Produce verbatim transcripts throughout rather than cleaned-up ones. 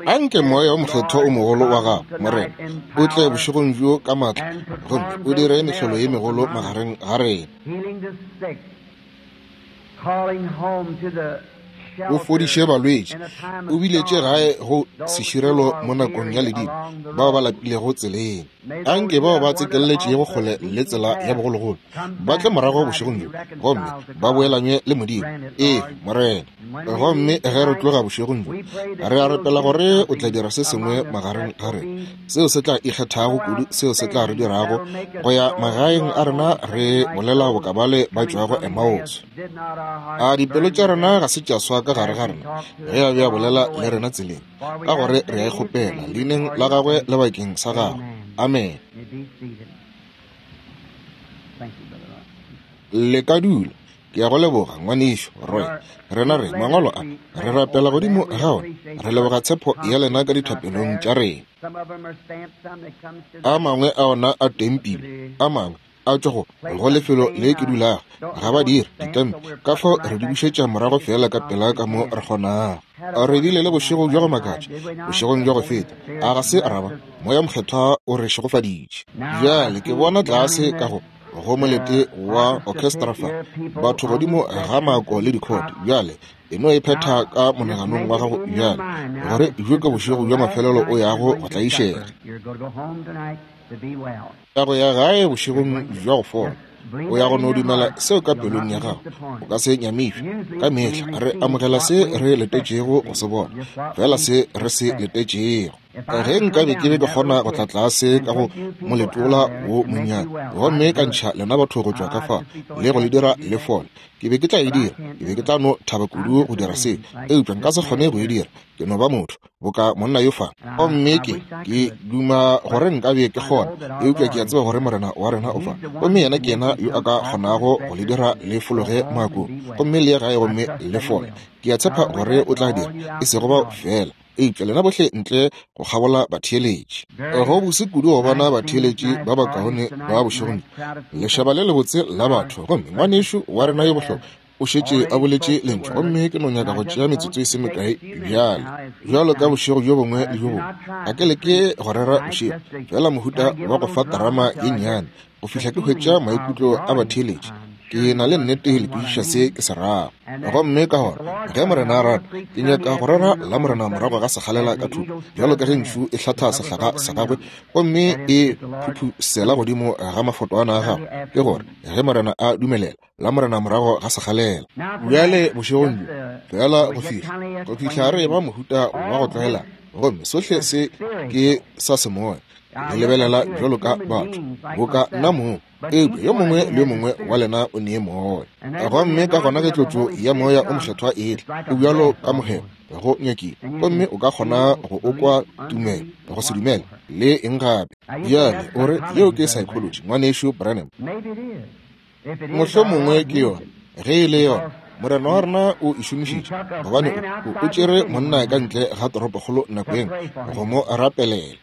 Anke Moya o Mokgethwa o mogolo wa gago, Morena, o tle bošegong bjo ka maatla gomme o dire mehlolo ye megolo magareng ga rena. O fodiše balwetši, o biletše gae go seširelo mo nakong ya ledimo bao ba lapilego tseleng. Anke bao ba tsekeletšego kgole le tsela ya bogologolo ba tle morago bošegong bjo gomme ba boelanywe le Modimo. Ee, Morena. Gomme ge re tloga bošegong bjo, re a rapela gore o tla dira se sengwe magareng ga rena seo se tla ikgethago kudu, seo se tla re dirago go ya magaeng a rena re bolela bokabale ba tšwago Emmaus. A dipelo tša rena ga se tša swa ka gare ga rena ge a be a bolela le rena tseleng, ka gore re a e kgopela leineng la gagwe le bakeng sa gagwe. Amen. Le ka dula. Ke a go leboga, ngwanešu Roy. Rena re mangwalo a re rapela godimo ga ona. Re leboga tshepo ya lena ka dithapelong tša rena. A mangwe a ona a tempile, a mangwe a tšwa go go lefelo le ke dulago, ga ba dire ditempe, ka fao re di bušetša morago fela ka pela ka mo re kgonago. Re bile le bošego bja go makatša bošegong bja go feta, a ga se ra ba? Moya Mokgethwa o re šegofaditše. Bjale ke bona tlase ka go go molete wa orchestra fa, batho godimo ga mako le dikhoto. Bjale e no e phetha ka monaganong wa gago bjale gore bjo ke bošego bja mafelelo o yago go tlaišega. Ya go ya gae bošegong bja go fola, o ya go no dumela seo ka pelong ya gago, o ka se nyamišwe. Ka mehla re amogela se re letetšego go se bona, fela se re se letetšego. Ge nkabe ke be ke kgona go tla tlase ka go moletola wo monnyane gomme ka ntšha lena batho go tšwa ka fa le go le dira le fole, ke be ke tla e dira. Ke be ke tla no thaba kudu go dira se, eupša nka se kgone go e dira. Ke no ba motho boka monna yo fa, gomme ke ke duma gore nkabe ke kgona, eupša ke a tseba gore Morena wa rena o fa, gomme yena ke yena yo a ka kgonago go le dira le fologe moakong gomme le ye gae gomme le fole. Ke a tshepa gore o tla dira, e sego bao fela, eupša lena bohle ntle go kgabola batheeletši. Go bose kudu go bona batheeletši ba bakaone ba bošegong, lešaba le lebotse la batho. Gomme ngwanešu wa rena yo bohlokwa o šetše a boletše lentšu, gomme ke no nyaka go tšea metsotso e se mekae bjale. Bjalo ka bošego bjo bongwe le bjo bongwe, ga ke leke go rera bošego, fela mohuta wa go fa terama ye nnyane go fihla ke hwetša maikutlo a batheeletši. Ke na le nnete le kwešiša se ke se rago. Gomme ka gona ge Morena a rata, ke nyaka go rera la Morena morago ga sekgalela ka thuto, bjalo ka ge ntšhu e hlatha sehlaga sa gagwe gomme e phuphusela godimo ga mafotwana a gagwe, ke gore ge Morena a dumelela, la Morena morago ga sekgalela. Bjale bošegong bjo fela go fihla go fihla re ba mohuta wa go tlwaelana, gomme sohle se ke sa semoya. Le lebelela bjalo ka batho boka nna mong, eupša yo mongwe le yo mongwe wa lena o nee moya. Gomme ka gona ge tlotšo ya Moya o Mokgethwa e tla, o bjalo ka mohemo go nyakile, gomme o ka kgona go o kwa tumelo, go se dumele le eng gape. Bjale o re yeo ke psychology, ngwanešu Branham. Mohlomongwe ke yona. Ge e le yona, Morena wa rena o e šomišitše, gobane o o tšere monna ka ntle ga toropokgolo nako ye nngwe go mo rapelela.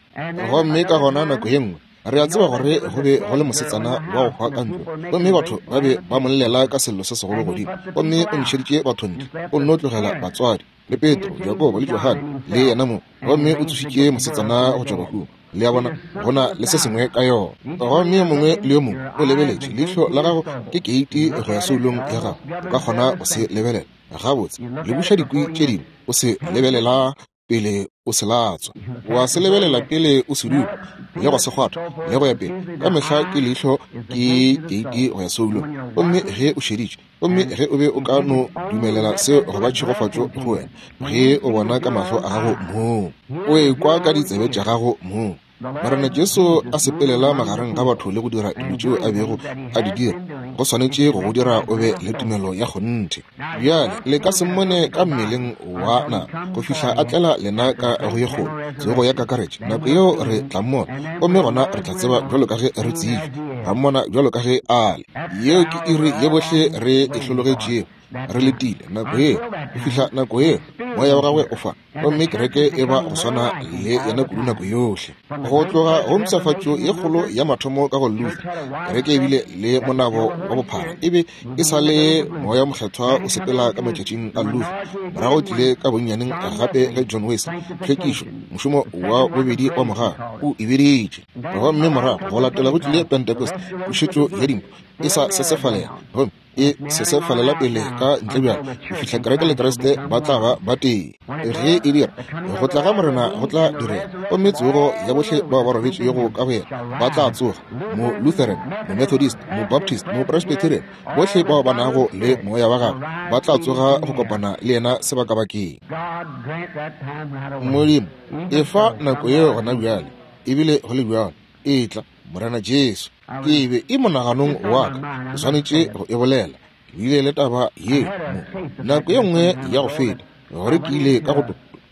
Gomme ka gona nako ye nngwe re a tseba gore go be go le mosetsana wa go hwa ka ntlo, gomme batho ba be ba mo llela ka sello se segolo godimo, gomme o ntšheditše batho ntle, o nno tlogela batswadi le Petro, Jakobo le Johane le yena mo, gomme o tsošitše mosetsana go tšwa bahung. Le a bona, go na le se sengwe ka yona. Gomme yo mongwe le yo mongwe o lebeletše, leihlo la gago ke keiti go ya soulong ya gago, o ka kgona go se lebelela gabotse. Le buša dikwi tše dingwe, o se lebelela pele o se latswa, wa se lebelela pele o se dupa le go se kgwatha le go ya pele. Ka mehla ke leihlo ke keiti go ya soulong. Gomme ge o šeditše, gomme ge o be o ka no dumelela seo go ba tšhegofatšo go wena, ge o bona ka mahlo a gago moo, o ekwa ka ditsebe tša gago moo, Morena Jesu a sepelela magareng ga batho le go dira dilo tšeo a bego a di dira, go swanetše go go dira o be le tumelo ya kgonthe. Bjale le ka se mmone ka mmeleng wa nama go fihla a tlela lena ka go ye kgolo tsogo ya kakaretšo. Nako yeo re tla mmona, gomme gona re tla tseba bjalo ka ge re tsebja, ra mmona bjalo ka ge a le. Yeo ke iri ye bohle re e hlologetšego. Re letile nako yeo, go fihla nako yeo moya wa gagwe o fa, gomme kereke e ba go swana le yena kudu nako yohle. Go tloga go mpshafatšo ye kgolo ya mathomo ka go Luther, kereke e bile le monabo wa bophara, e be e sa le moya mokgethwa o sepela ka matšatšing a Luther. Morago tlile ka bonnyaneng gape ge John Wesley, tlhwekišo, mošomo wa bobedi wa mogala o e biditše. Gomme morago go latela go tlile Pentecost, pušetšo ya dimpho e sa sesefalela, gomme e sesefalela pele ka ntle bjalo go fihla kereke le Kriste ba tla ba ba tee. Ge e dira, go tla ga Morena go tla direga, gomme tsogo ya bohle bao ba robetšego ka go yena ba tla tsoga, mo Lutheran, mo Methodist, mo Baptist, mo Presbyterian, bohle bao ba nago le moya wa gagwe ba tla tsoga go kopana le yena sebakabakeng. Modimo, efa nako yeo gona bjale, ebile go le bjalo, e tla Morena Jesu. Ke be e monaganong wa ka, ke swanetše go e bolela. Ke bile le taba ye mo nako ye nngwe ya go feta, gore ke ile ka go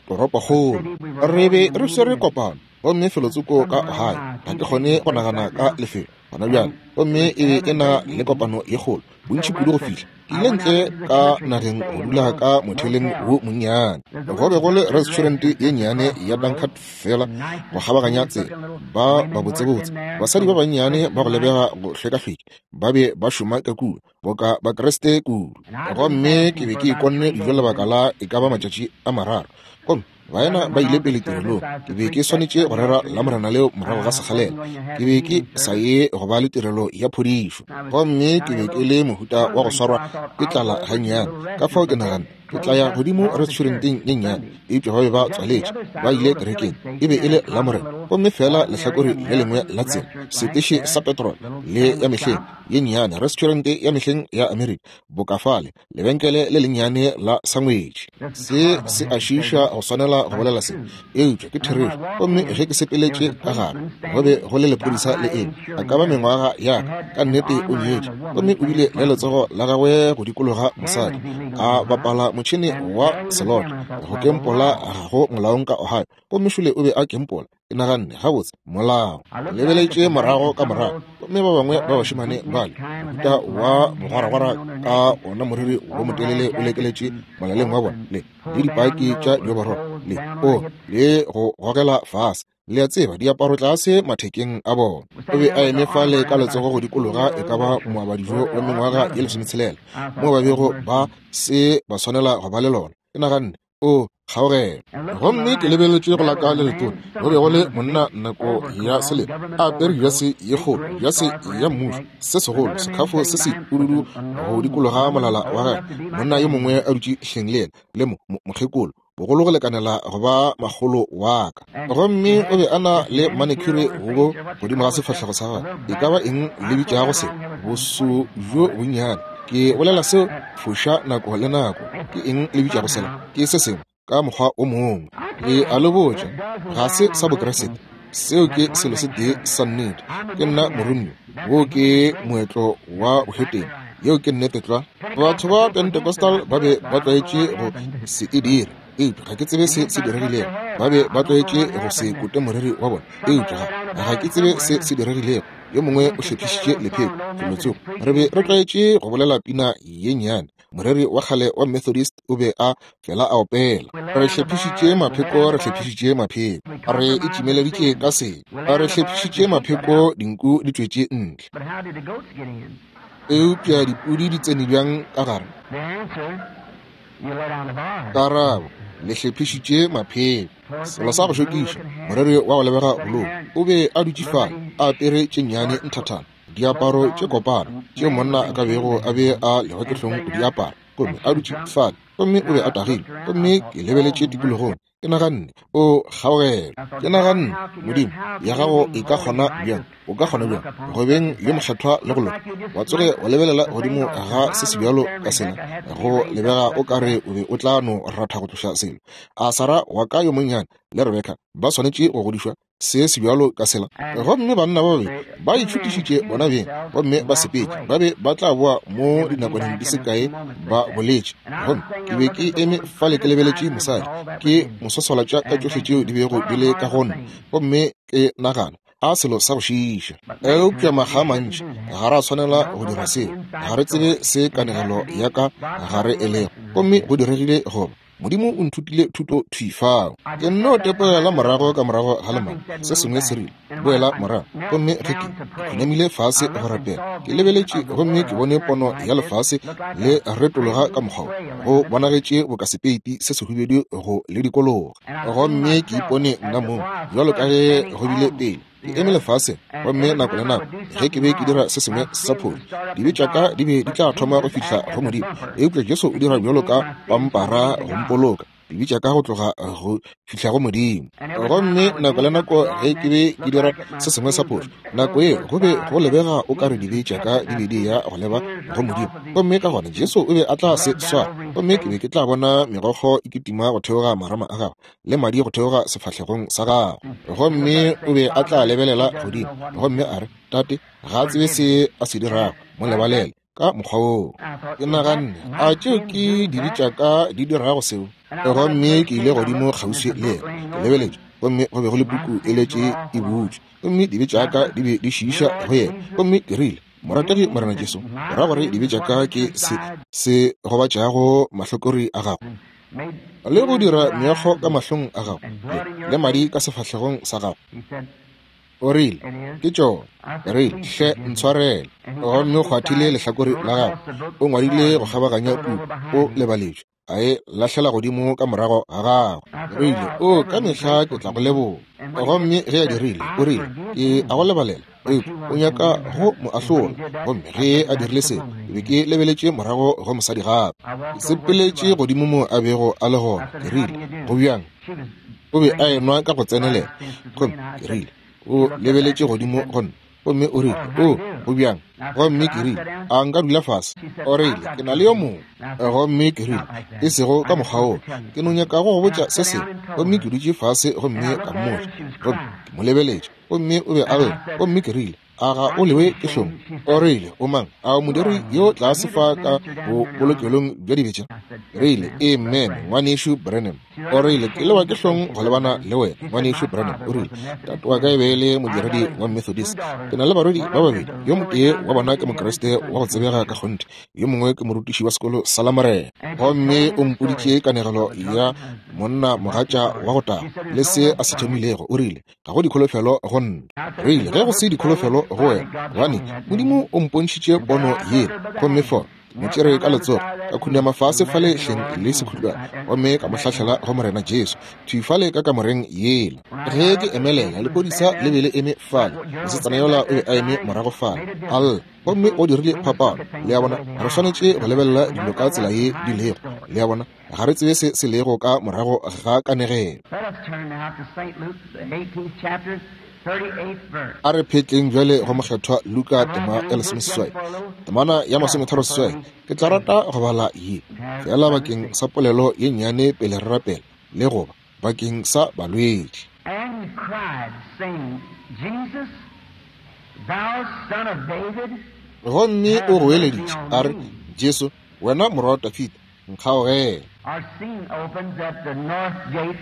toropokgolo. Re be re swere kopano gomme felotsoko ka Ohio. Ga ke kgone go nagana ka lefelo gona bjale, gomme e be e na le kopano ye kgolo, bontši kudu go fihla ke ile ntle ka nageng go dula ka motheleng wo monnyane. Go be go le restaurant ye nnyane ya Dunkard fela go kgabaganya tsela. Ba ba botsebotse basadi ba bannyane ba go lebega go hlwekahlweki ba be ba šoma ka kua boka Bakriste kudu. Gomme ke be ke ikonne dijo lebaka la e ka ba matšatši a mararo, gomme baena ba ile pele tirelong. Ke be ke swanetše go rera Lamorena leo morago ga sekgalela. Ke be ke sa ye go ba le tirelo ya phodišo, gomme ke be ke le mohuta wa go swarwa ke tlala gannyane. Ka fao ke nagana ke tla ya godimo restauranteng ye nnyane, eupša ba be ba tswaletše, ba ile kerekeng. E be e le Lamorena, gomme fela lehlakore le lengwe la tsela, seteše sa petrol le ya mehleng ye nnyane, restaurant ya mehleng ya Amerika, bokafale, lebenkele le lennyane la sangwetši. Se se a šiiša go swanela go bolela se, eupša ke therešo. Gomme ge ke sepeletše ka gare, go be go le lephodisa le eme, a ka ba mengwaga ya ka, ka nnete o nyetše, gomme o bile le letsogo la gagwe go dikologa mosadi, a bapala motšhene wa selota go kempola ga go molaong ka Ohio, gomme šole o be a kempola. Ke naganne, gabotse, molao. Lebeletše morago ka morago, gomme ba bangwe ba bašemane bale, mohuta wa bogwaragwara ka ona moriri wo motelele o lekeletše molaleng wa bona, le le dipaki tša dioborolo, le o le go gogela fase, le a tseba, diaparo tlase mathekeng a bona. O be a eme fale ka letsogo go dikologa e ka ba moabadijo wa mengwaga ye lesometshelela, mo ba bego ba se ba swanela go ba le lona. Ke naganne, o kgaogelo. Gomme ke lebeletše go la ka le letona, go be go le monna nako ya selemo, a apere jase ye kgolo, jase ya mmušo, se segolo, sekhafo se se pududu go dikologa molala wa gagwe. Monna yo mongwe a dutše hleng le yena, le mo mokgekolo, bogolo go lekanela go ba makgolo wa ka. Gomme o be a na le manicure go godimo ga sefahlego sa gagwe. E ka ba eng le bitšago se? Boso bjo bonnyane. Ke bolela seo foša nako le nako. Ke eng le bitšago sela? Ke se sengwe ka mokgwa o mongwe. Ke a le botša, ga se sa Bokriste. Seo ke selo se tee sa nnete. Ke nna moromiwa, wo ke moetlo wa bohetene. Yeo ke nnete tlwa. Batho ba Pentecostal ba be ba tlwaetše go se e dira, eupša ga ke tsebe se se diregilego. Ba be ba tlwaetše go se kote moriri wa bona, eupša ga ke tsebe se se diregilego. Yo mongwe o hlephišitše lepheko felotsoko. Re be re tlwaetše go bolela pina ye nnyane. Moreri wa kgale wa Methodist o be a fela a opela. Re hlephišitše mapheko, re hlephišitše mapheko, re itšimeleditše ka se. Re hlephišitše mapheko, dinku di tšwetše ntle. Eupša dipudi di tsene bjang ka gare? Karabo, le hlephišitše mapheko. Selo sa go šokiša, moreri wa go lebega bolou o be a dutše fale a apere tše nnyane nthathana, diaparo tše kopana tše monna a ka bego a be a lewa ke hlong go di apara, gomme a dutše fale, gomme o be a tagile. Gomme ke lebeletše tikologong, ke naganne, o kgaogelo. Ke naganne, Modimo, ya gago e ka kgona bjang? O ka kgona bjang go beng yo mokgethwa le go loka, wa tsoge wa lebelela godimo ga se se bjalo ka sela, go lebega o ka re o be o tla no ratha go tloša selo? A Sara wa ka yo monnyane le Rebeka ba swanetše go godišwa se se bjalo ka sela? Gomme banna ba babedi ba itšhutišitše bona beng, gomme ba sepetše. Ba be ba tla boa mo dinakwaneng di se kae, ba boletše. Gomme ke be ke eme fale ke lebeletše mosadi, ke mo swaswalatša ka tšohle tšeo di bego di le ka go nna, gomme ke nagana, A selo sa go šiiša. Eupša makga a mantši ga ra swanela go dira seo. Ga re tsebe se kanegelo ya ka gare e lego. Gomme go diregile goba Modimo o nthutile thuto thwi fao. Ke nno tepela morago ka morago ga lemao. Se sengwe se rile, boela morago. Gomme ge ke khunamile fase go rapela, ke lebeletše gomme ke bone pono ya lefase le retologa ka mokgwa wo. Go bonagetše boka sepeiti se sehubedu go le dikologa. Gomme ke ipone nna mong bjalo ka ge go bile pele. Ke eme lefaseng, gomme nako le nako ge ke be ke dira se sengwe sa phošo, dibe tša ka di be di tla thoma go fihla go Modimo. Eupša Jesu o dira bjalo ka pampara go mpoloka dibe tša ka go tloga go fihla go Modimo. Gomme nako le nako ge ke be ke dira se sengwe sa phošo, nako ye go be go lebega o ka re dibe tša ka di be di ya go leba go Modimo. Gomme ka gona Jesu o be a tla se swara, gomme ke be ke tla bona megokgo e kitima go theoga marama a gagwe le madi go theoga sefahlegong sa gagwe. Gomme o be a tla lebelela godimo gomme a re, Tate, ga a tsebe se a se dirago, mo lebalele ka mokgwa woo. Ke naganne, a tšeo ke dibe tša ka di dirago seo? Gomme ke ile godimo kgauswi le yena, ke lebeletše, gomme go be go le puku e letše e butšwe, gomme dibe tša ka di be di šiiša go yena. Gomme ke rile, Morategi Morena Jesu, o ra gore dibe tša ka ke se se gobatšago mahlakore a gago le go dira meokgo ka mahlong a gago le, le madi ka sefahlegong sa gago? O rile, ke tšona. Ke rile, hle ntshwarele. Gomme o kgwathile lehlakore la gagwe, o ngwadile go kgabaganya puku, o lebaletšwe, a e lahlela godimo ka morago ga gagwe. Rile, o ka mehla ke tla go leboga. Gomme ge a dirile, o rile, ke a go lebalela, eupša o nyaka go mo ahlola. Gomme ge a dirile seo, ke be ke lebeletše morago go mosadi gape. Ke sepeletše godimo mo a bego a le gona. Ke rile, go bjang? O be a enwa ka go tsenelela. Gomme ke rile, o lebeletše godimo go nna. Gomme o rile, o, go bjang? Gomme ke rile, a nka dula fase? O rile, ke na le yo mongwe. Gomme ke rile, e sego ka mokgwa woo, ke no nyaka go go botša se sengwe. Gomme ke dutše fase gomme ka mmotša. Gomme ke mo lebeletše, gomme o be a lla. Gomme ke rile, a ga o lewe ke hlong? O rile, o mang? A o modiri yo tlase fa ka bobolokelong bja dibetša? Rile, amen, ngwanešu Branham. O rile, ke lewa ke hlong go lebana le wena, ngwanešu Branham. O rile, tate wa ka e be e le modiredi wa Methodist. Ke na le barwedi ba babedi, yo motee wa bona ke Mokriste wa go tsebega ka kgonthe, yo mongwe ke morutiši wa sekolo sa Lamorena. Gomme o mpoditše kanegelo ya monna mogatša wa go taga le se a se thomilego. O rile, ga go dikholofelo go nna. Rile, ge go se dikholofelo go wena, gobane Modimo o mpontšhitše pono yela. Gomme fo mo tšere ka letsogo, ka khunama fase fale hleng le sekhutlwana, gomme ka mo hlahlela go Morena Jesu thwi fale ka kamoreng yela. Ge ke emelela, lepodisa le be le eme fale, mosetsana yola o be a eme morago fale a lla. Gomme o dirile phapano. Le a bona, re swanetše go lebelela dilo ka tsela ye di lego. Le a bona, ga re tsebe se se lego ka morago ga kanegelo. A re phetleng bjale go mokgethwa Luka tema ya lesomeseswai, temana ya masometharo seswai. Ke tla rata go bala ye fela bakeng sa polelo ye nnyane pele re rapela, le goba bakeng sa balwetši. And he cried, saying, Jesus, thou son of David, Gomme o goeleditše a re, Jesu, wena morwa wa Dafida, nkgaogele. Our scene opens at the north gate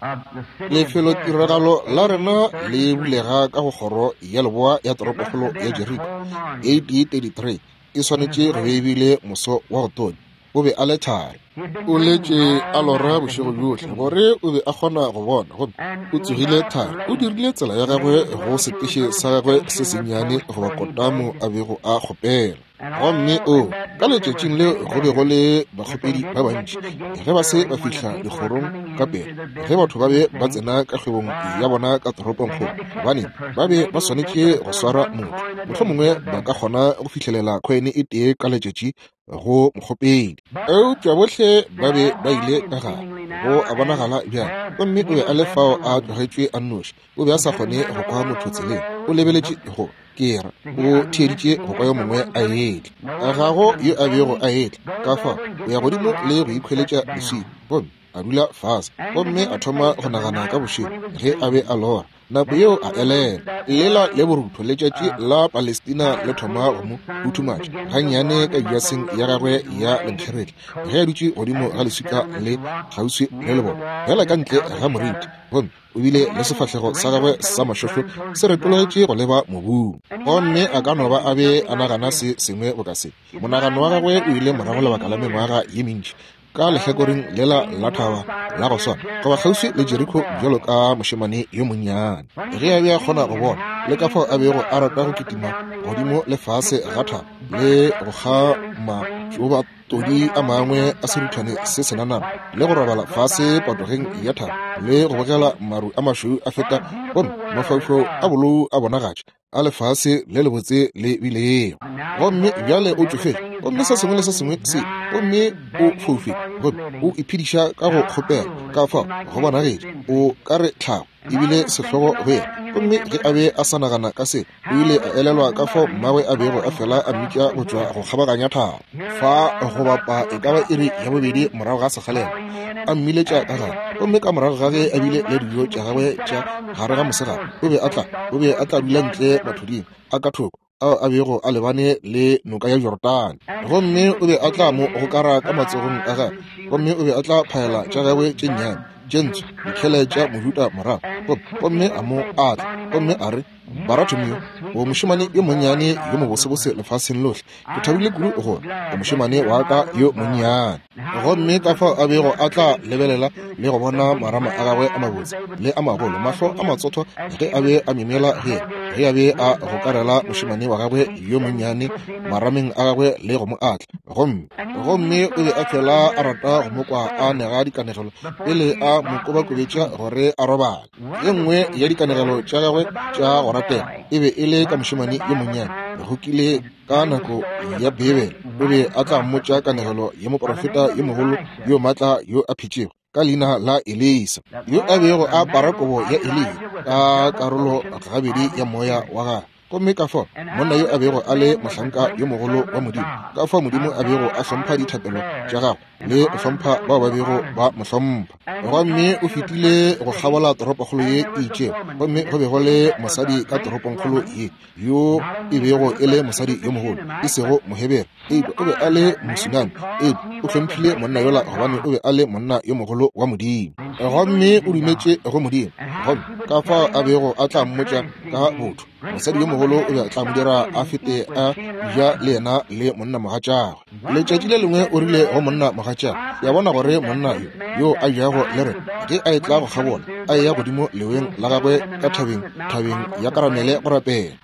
of the city of Lefelotiragalo Jericho, la rena le thirty-three. bulega ka go kgoro ya leboa ya It must toropokgolo have ya been a Jeriko, cold morning. A D thirty-three. E He was swanetše go be late. e bile moso wa go tonya. O be a le thari. He had been O dreaming letše a all lora night that bošego he could bjohle see. gore o be a kgona go bona, gomme And o he tsogile got up thari. O late, dirile tsela ya made gagwe his go way to the seteše little sa gagwe se station that sennyane close goba where he kotamo begged. a bego a kgopela. And Gomme all o in that ka day there was letšatšing leo many go be go beggars. le If they bakgopedi ba didn't get bantši. to the gate Ge ba se early ba when the fihla people were dikgorong coming ka into pele, their ge batho business ba be and ba things, tsena ka kgwebong ya why, bona ka they toropongkgolo, had to catch gobane the ba person. be ba Maybe they swanetše could go afford swara one motho. coin a day Mohlomongwe to a ba ka beggar. kgona go fihlelela khoene e tee ka letšatši go mokgopedi. But Eupša bohle ba they're be all ba ile gone ka and gare, seemingly go now, a and bonagala bjale. there Gomme he o be a was le left fao a alone. tlogetšwe a nnoši. O be a He sa couldn't kgone hear go no kwa one motho on the tseleng. O road. He lebeletše looked go ke ra to o hear, I mean, theeditše listened to go kwa hear yo mongwe someone a coming. etla. No one Ga was go coming. yo a So bego he a etla. Ka goes fao over and o gets ya him a godimo rock le go and ikhweletša sits leswika, down. gomme A dula fase gomme a thoma go nagana ka bošego ge a be a lora. Nako yeo a elela lela le borutho letšatši la Palestina le thoma go mo huthumatša gannyane ka jaseng ya gagwe ya lenkgeretla ge a dutše godimo ga leswika le kgauswi le lebone fela ka ntle ga moriti, gomme o bile le sefahlego sa gagwe sa mašohlo se retologetše go leba mobung. Gomme a ka no ba a be a nagana se sengwe boka se. Monagano wa gagwe o ile morago lebaka la mengwaga ye mentši ka lehlakoreng lela la thaba la go swana goba kgauswi le Jeriko bjalo ka mošemane yo monnyane ge a be a kgona go bona le ka fao a bego a rata go kitima godimo le fase ga thaba le go kgama tšoba todi a mangwe a seruthwane se senanana le go robala fase patogeng ya thaba le go bogela maru a mašweu a feta gomme mafaufau a bolou a bonagatša a lefase le lebotse le bilego. Gomme bjale o tšofetše gomme se sengwe le se sengwe se, gomme o foufetše gomme o iphediša ka go kgopela. Ka fao go bonagetše o ka re tlhago ebile sehlogo go yena. Gomme ge a be a sa nagana ka se, o ile a elelwa ka fao mmagwe a bego a fela a mmitša go tšwa go kgabaganya thaba fa go bapa e ka ba iri ya bobedi morago ga sekgalela, a mmiletša ka gare. Gomme ka morago ga ge a bile le dijo tša gagwe tša gare ga mosegare, o be a tla o be a tla dula ntle mathuding a ka thoko ao a bego a lebane le noka ya Jordane. Gomme o be a tla mo gokara ka matsogong a gagwe, gomme o be a tla phaela tša gagwe tše nnyane tše ntsho dikhele tša mojuta morago, gomme a mo atla gomme a re, Baratomio, o mošemane yo monnyane yo mobosebose lefaseng lohle, ke thabile kudu gore o mošemane wa ka yo monnyane. Gomme ka fao a bego a tla lebelela le go bona marama a gagwe a mabotse le a magolo, mahlo a matsotho ge a be a myemyela go yena, ge a be a gokarela mošemane wa gagwe yo monnyane marameng a gagwe le go mo atla. Gomme gomme o be a fela a rata go mo kwa a nega dikanegelo pele a mo kobakobetša gore a robale. Ye nngwe ya dikanegelo tša gagwe tša go ratela e be e le ka mošemane yo monnyane go kile ka nako ya Bibele. O be a tla mmotša kanegelo ya moprofeta yo mogolo yo maatla yo a phetšego ka leina la Elisa, yo a bego a apara kobo ya Eliya ka karolo gabedi ya moya wa gagwe. Gomme ka fao monna yo a bego a le mohlanka yo mogolo wa Modimo, ka fao Modimo a bego a hlompha dithapelo tša gagwe le go hlompha bao ba bego ba mo hlompha. Gomme o fetile go kgabola toropokgolo ye e itšego, gomme go be go le mosadi ka toropongkgolo ye yo e bego e le mosadi yo mogolo, e sego Mohebere, eupša o be a le Mosunami, eupša o hlomphile monna yola gobane o be a le monna yo mogolo wa Modimo. Gomme o dumetše go Modimo, gomme ka fao a bego a tla mmotša ka botho mosadi yo mogolo o be a tla mo dira a fete a ja le yena le monna mogatšagwe. Letšatši le lengwe o rile go monna mogatšagwe, ya bona gore monna yo yo a jago le rena ge a etla go kgabola a eya godimo leweng la gagwe ka thabeng thabeng ya Karamele go rapela,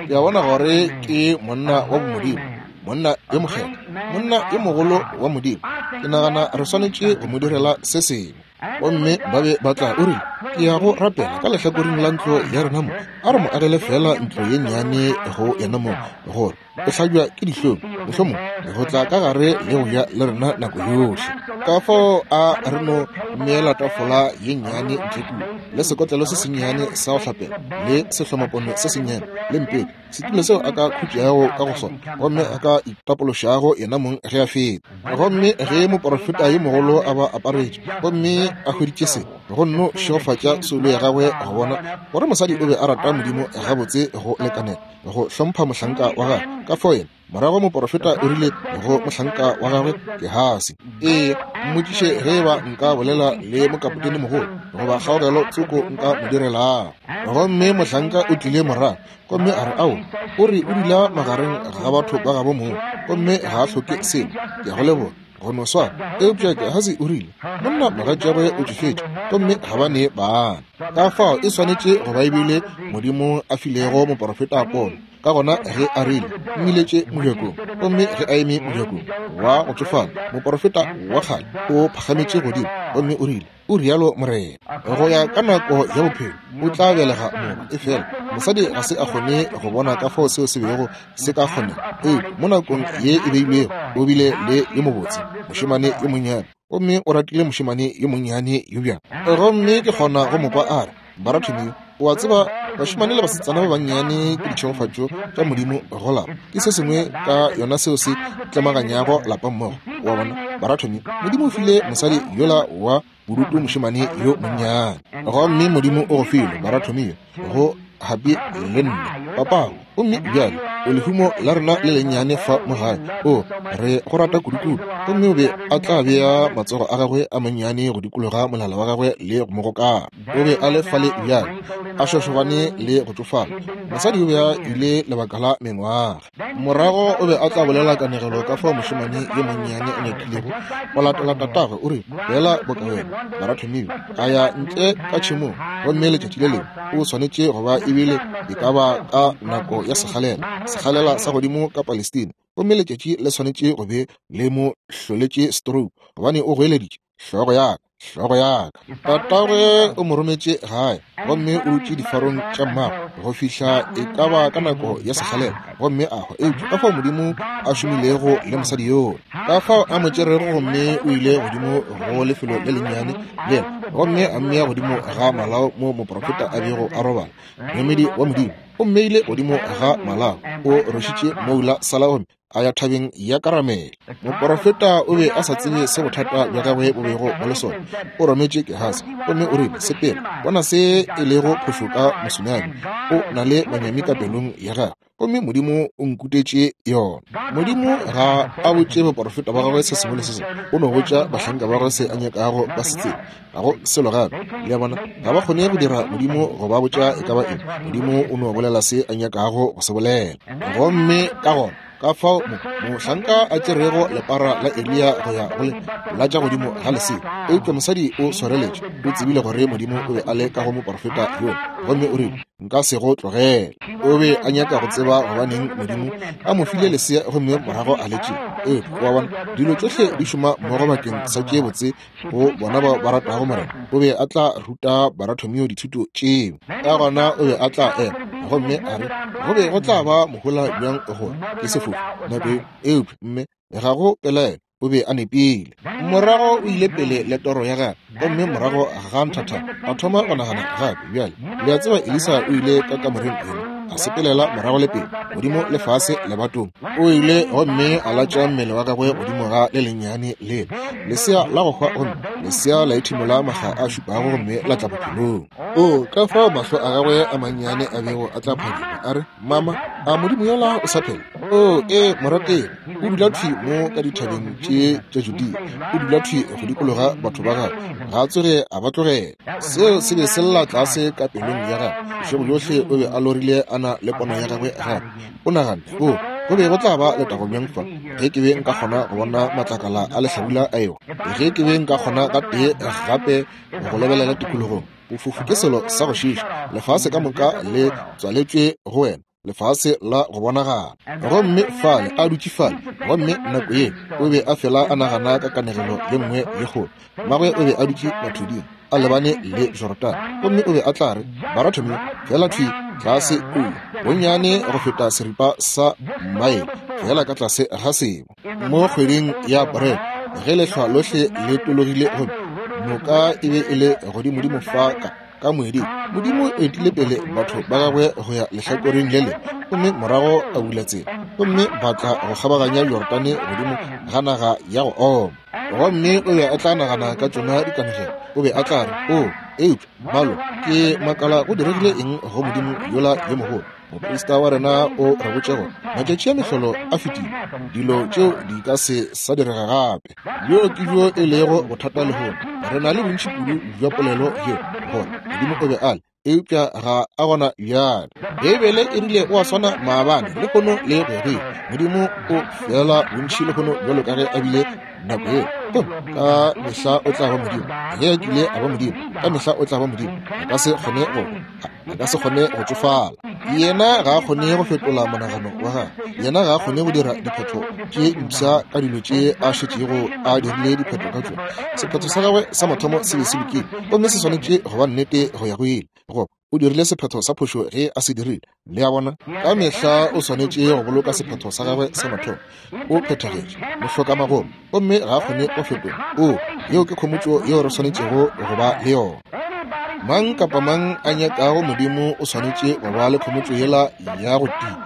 ya bona gore ke monna wa bomodimo, monna yo mokgethwa, monna yo mogolo wa Modimo. Ke nagana re swanetše go mo direla se sengwe. Gomme ba be ba tla, o rile, ke ya go rapela ka lehlakoreng la ntlo ya rena mo, a re mo agele fela ntlo ye nnyane go yena mo, gore o hlabja ke dihlong mohlomong go tla ka gare le go ja le rena nako yohle. Ka fao a re no mmeela tafola ye nnyane ntle kua, le sekotlelo se sennyane sa go hlapela, le sehlomapono se sennyane, le mpete, setulo seo a ka khutšago ka go sona, gomme a ka itapološago yena mong ge a feta. Gomme ge moprofeta yo mogolo a ba aparetše gomme a hweditše se, go nno šegofatša soulo ya gagwe go bona gore mosadi o be a rata Modimo gabotse go lekanela go hlompha mohlanka wa gagwe. Ka fao yena morago moprofeta o rile go mohlanka wa gagwe Gehasi, ee, mmotšiše ge eba nka bolela le mokapotene mogolo goba kgaogelo tsoko nka mo direlago. Gomme mohlanka o tlile morago gomme a re, ao, o re o dula magareng ga batho ba gabo moo gomme ga a hloke selo, ke a go leboga go no swana. Eupša Gehasi o rile, monna mogatšagwe o tšofetše gomme ga ba ne bana. Ka fao e swanetše go ba ebile Modimo a filego moprofeta pono. Ka gona ge a rile, mmiletše mojakong, gomme ge a eme mojakong wa go tšofala, moprofeta wa kgale o phagametše godimo gomme o rile, o rialo Morena, go ya ka nako ya bophelo o tla belega morwa. Efela mosadi ga se a kgone go bona ka fao seo se bego se ka kgonega, eupša mo nakong ye e beilwego o bile le yo mobotse mošemane yo monnyane, gomme o ratile mošemane yo monnyane yo bjang. Gomme ke kgona go mo kwa a re, Baratomio, o a tseba Bašemane le basetsana ba bannyane ke ditšhegofatšo tša Modimo go lapa. Ke se sengwe ka yona seo se tlemaganyago lapa mmogo. Wa bona, barathomi, Modimo o file mosadi yola wa bodutu mošemane yo monnyane. Gomme Modimo o go file, barathomi, go happy le nna papago. Gomme bjale o lehumo la rena le lennyane fa mo gae. O re go rata kudukudu. Gomme o be a tla bea matsogo a gagwe a mannyane go dikologa molala wa gagwe le go mo gokara. O be a le fale bjale, a šošobane le go tšofala. Mosadi o be a ile lebaka la mengwaga. Morago o be a tla bolela kanegelo ka fao mošemane yo monnyane a nyakilego go latela tatagwe. O re fela boka wena, barathomiwe, a ya ntle ka tšhemong. Gomme letšatši le lengwe o swanetše go ba ebile e ka ba ka nako ya sekgalela, sekgalela sa godimo ka Palestina. Gomme letšatši le swanetše go be le mo hloletše stroke, gobane o goeleditše, hlogo ya ka, hlogo ya ka. Tatagwe o mo rometše gae, gomme o dutše difarong tša mmagwe go fihla e ka ba ka nako ya sekgalela, gomme a hwa. Eupša ka fao Modimo a šomilego le mosadi yola, ka fao a mo tšerego, gomme o ile godimo go lefelo le lennyane lela, gomme a mmea godimo ga malao mo moprofeta a bego a robala, moemedi wa Modimo. O mmeile godimo ga malao, o rwešitše moula sala gomme a ya thabeng ya Karamele. Moprofeta o be a sa tsebe se bothata bja gagwe bo bego bo le sona. O rometše Gehasi, gomme o rile, sepela, bona se e lego phošo ka mosunami. O na le manyami ka pelong ya gagwe, gomme Modimo o nkutetše yona. Modimo ga a botše baprofeta ba gagwe se sengwe le se sengwe. O no botša bahlanka ba gagwe se a nyakago ba se tsebe. Ga go selo gape. Le a bona, ga ba kgone go dira Modimo go ba botša e ka ba eng. Modimo o no bolela se a nyakago go se bolela. Gomme ka gona ka fao mohlanka a tšerego lepara la Eliya go ya go le latša godimo ga lesea. Eupša mosadi o swareletše, o tsebile gore Modimo o be a le ka go moprofeta yola, gomme o rile, nka se go tlogele. O be a nyaka go tseba gobaneng Modimo a mo file lesea gomme morago a le tšea. Eupša wa bona, dilo tšohle di šoma mmogo bakeng sa tše botse go bona bao ba ratago Morena. O be a tla ruta barathomio dithuto tšeo. Ka gona o be a tla ema gomme a re, go be go tla ba mohola bjang gore ke sefofu nako eo. Eupša mme ga go pelaelo, o be a nepile. Morago o ile pele le toro ya gagwe, gomme morago ga nthatha a thoma go nagana gape. Bjale le a tseba, Elisa o ile ka kamoreng eno, a sepelela morago le pele, godimo le fase lebatong. O ile gomme a latša mmele wa gagwe godimo ga le lennyane lela lesea la go hwa, gomme lesea la ethimola maga a šupago gomme la tla bophelong. O ka fao mahlo a gagwe a mannyane a bego a tla phadima, a re, mama, a Modimo yola o sa phela? O e morategi, o dula thwi mo ka dithabeng tše tša Judea, o dula thwi go dikologa batho ba gagwe, ga a tsoge a ba tlogela. Seo se be se lla tlase ka pelong ya gagwe. Bošego bjohle o be a lorile a na le pono ya gagwe gape. O naganne, o go be go tla ba letago bjang fa ge ke be nka kgona go bona matlakala a lehlabula a ewa, ge ke be nka kgona ka tee gape go lebelela tikologong. Bofofu ke selo sa go šiiša, lefase ka moka le tswaletšwe go wena, lefase la go bonagala. Gomme fale a dutše fale, gomme nako ye o be a fela a nagana ka kanegelo ye nngwe ye kgolo. Mmagwe o be a dutše mathuding a lebane le Jorodane, gomme o be a tla re, barathomi, fela thwi tlase kua, bonnyane go feta seripa sa maele, fela ka tlase ga sebo, mo kgweding ya Aprele, ge lehlwa lohle le tologile gomme noka e be e le godimodimo fa ka ka moeding. Modimo o etile pele batho ba gagwe go ya lehlakoreng le lengwe, gomme morago a bula tsela, gomme ba tla go kgabaganya Jorodane godimo ga naga ya go oma. Gomme o be a tla nagana ka tšona dikanegelo. O be a tla re, o eupša malo, ke makala go diregile eng go Modimo yola yo mogolo. Moprista wa rena o re botše gore matšatši a mehlolo a fetile, dilo tšeo di ka se sa direga gape. Bjo ke bjo e lego bothata lehono. Re na le bontši kudu bja polelo yeo gore Modimo o be a le, eupša ga a gona bjale. Beibele e rile o a swana maabane, lehono le go ya go ile. Modimo o fela bontši lehono bjalo ka ge a bile nako yeo. Gomme ka mehla o tla ba Modimo. Ge a kile a ba Modimo, ka mehla o tla ba Modimo. A ka se kgone go a ka se kgone go tšofala. Yena ga a kgone go fetola monagano wa gagwe. Yena ga a kgone go dira diphetho tše mpsha ka dilo tše a šetšego a dirile diphetho ka tšona. Sephetho sa gagwe sa mathomo se be se lokile, gomme se swanetše go ba nnete go ya go ile. Go o dirile sephetho sa phošo ge a se dirile. Le a bona, ka mehla o swanetše go boloka sephetho sa gagwe sa mathomo. O phethagetše, mohlokamagomo, gomme ga a kgone go fetola. O yeo ke khomotšo yeo re swanetšego go ba le yona. Mang kapa mang a nyakago Modimo o swanetše go ba le khomotšo yela ya go tia,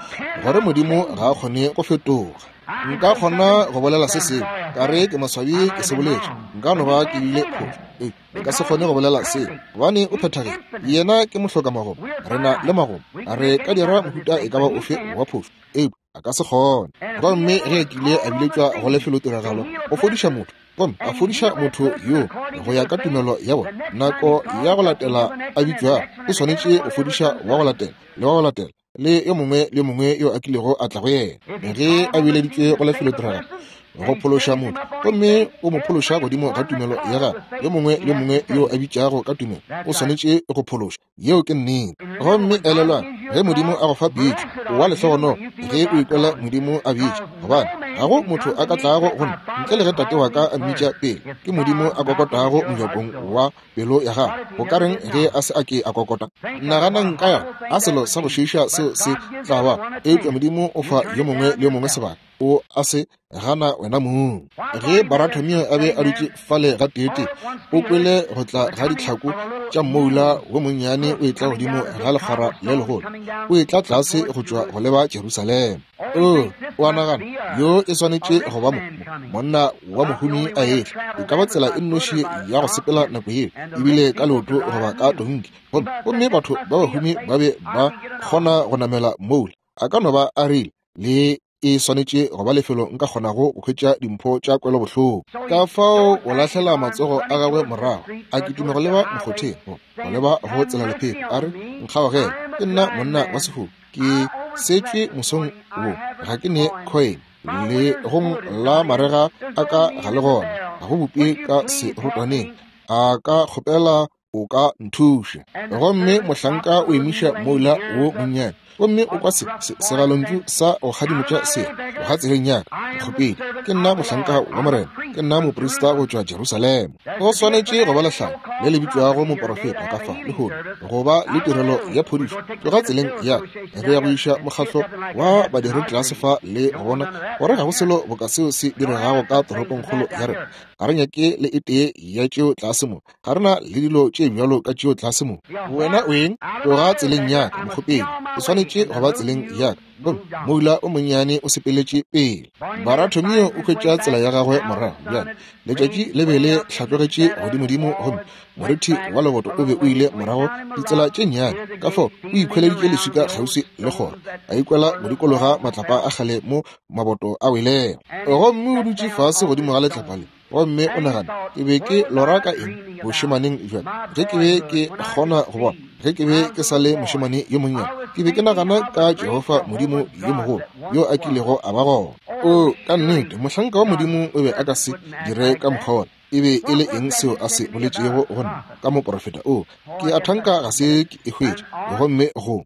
gore Modimo ga a kgone go fetoga. Nka kgona go bolela se sengwe, ka re ke maswabi ke se boletše, nka no ba ke bile phošo, eupša nka se kgone go bolela seo, gobane o phethagile. Yena ke mohloka-magomo, re na le magomo, re ka dira mohuta e ka ba ofe wa phošo, eupša a ka se kgone. Gomme ge a kile a biletšwa go lefelotiragalo go fodiša motho, gomme a fodiša motho yo go ya ka tumelo ya bona, nako ya go latela a bitšwago o swanetše go fodiša wa go latela le wa go latela le yo mongwe le yo mongwe yo a kilego a tla go yena. Ge a bileditšwe go lefelotiragalo go phološa motho, gomme o mo phološa godimo ga tumelo ya gagwe, yo mongwe le yo mongwe yo a bitšago ka tumelo o swanetše go phološa. Yeo ke nnete. Gomme elelwang, ge Modimo a go fa pitšo, o wa lehlogonolo ge o ikwela Modimo a bitša, gobane ga go motho a ka tlago go nna ntle le ge Tate wa ka a mmitša pele. Ke Modimo a kokotago mojakong wa pelo ya gago. Go ka reng ge a se a ke a kokota? Naganang ka yona, a selo sa go šiiša seo se tla ba. Eupša Modimo o fa yo mongwe le yo mongwe sebaka, o a se gana wena mong. Ge Baratomio a be a dutše fale ga teetee, o kwele go tla ga ditlhako tša mmoula wo monnyane o etla godimo ga lekgwara le legolo, o etla tlase go tšwa go leba Jerusalema. O, o a nagana, yo e swanetše go ba mo, monna wa mohumi a etla. E ka ba tsela e nnoši ya go sepela nako yeo, ebile ka leoto goba ka tonki. Gomme, gomme batho ba bahumi ba be ba kgona go namela moula. A ka no ba a rile, le e swanetše go ba lefelo nka kgonago go hwetša dimpho tša kwelobohloko. Ka fao o lahlela matsogo a gagwe morago, a kitima go leba mokgotheng, go leba go tselalephefo, a re, nkgaogele, ke nna monna wa sefofu, ke setšwe mosong wo, ga ke ne coin, le gong la marega a ka ga le gona, ga go bupe ka serotwaneng, a ka kgopela o ka nthuša. Gomme mohlanka o emiša moula wo monnyane, gomme o kwa se, se segalontšu sa go kgadimotša se, tloga tseleng ya ka, mokgopedi, ke nna mohlanka wa Morena, ke nna moprista go tšwa Jerusalema. Go swanetše go ba lehlala le le bitšwago moporofeta ka fa lehono, go ba le tirelo ya phodišo. Tloga tseleng ya ka, re ya go iša mokgatlo wa badiri tlase fa le go bona gore ga go selo boka seo se diregago ka toropongkgolo ya rena. Ga re nyake le e tee ya tšeo tlase mo, ga re na le dilo tše bjalo ka tšeo tlase mo. Wena o eng? Tloga tseleng ya ka, mokgopedi, o swanetše go ba tseleng ya ka. Gomme moula o monnyane o sepeletše pele. Baratomio o hwetša tsela ya gagwe morago. Bjale letšatši le be le hlatlogetše godimodimo, gomme morithi wa leboto o be o ile morago ditsela tše nnyane. Ka fao o ikhweleditše leswika kgauswi le kgoro, a ikwela go dikologa matlapa a kgale mo maboto a welego. Gomme o dutše fase godimo ga letlapa le, gomme o nagana, ke be ke lora ka eng bošemaneng bjale, ge ke be ke kgona go bona, ge ke be ke sa le mošemane yo monnyane, ke be ke nagana ka Jehofa Modimo yo mogolo yo a kilego a ba gona. O, ka nnete, mohlanka wa Modimo o be a ka se dire ka mokgwa wona. E be e le eng seo a se boletšego go nna ka moporofeta? O, ke a thanka ga se ke e hwetše. Gomme go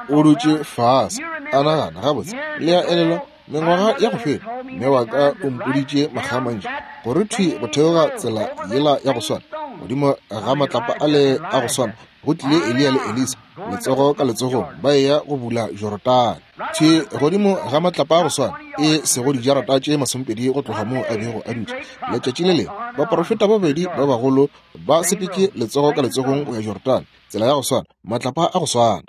o dutše fase a nagana, gabotse, le a elelwa mengwaga ya go feta, mme wa ka o mpoditše makga a mantši gore thwi go theoga tsela yela ya go swana, godimo ga matlapa ale a go swana, go tlile Eliya le Elisa letsogo ka letsogong ba eya go bula Jorodane. Thwi godimo ga matlapa a go swana, e sego dijarata tše masomepedi go tloga moo a bego a dutše. Letšatši le lengwe baporofeta ba babedi ba bagolo ba sepetše letsogo ka letsogong go ya Jorodane, tsela ya go swana, matlapa a go swana.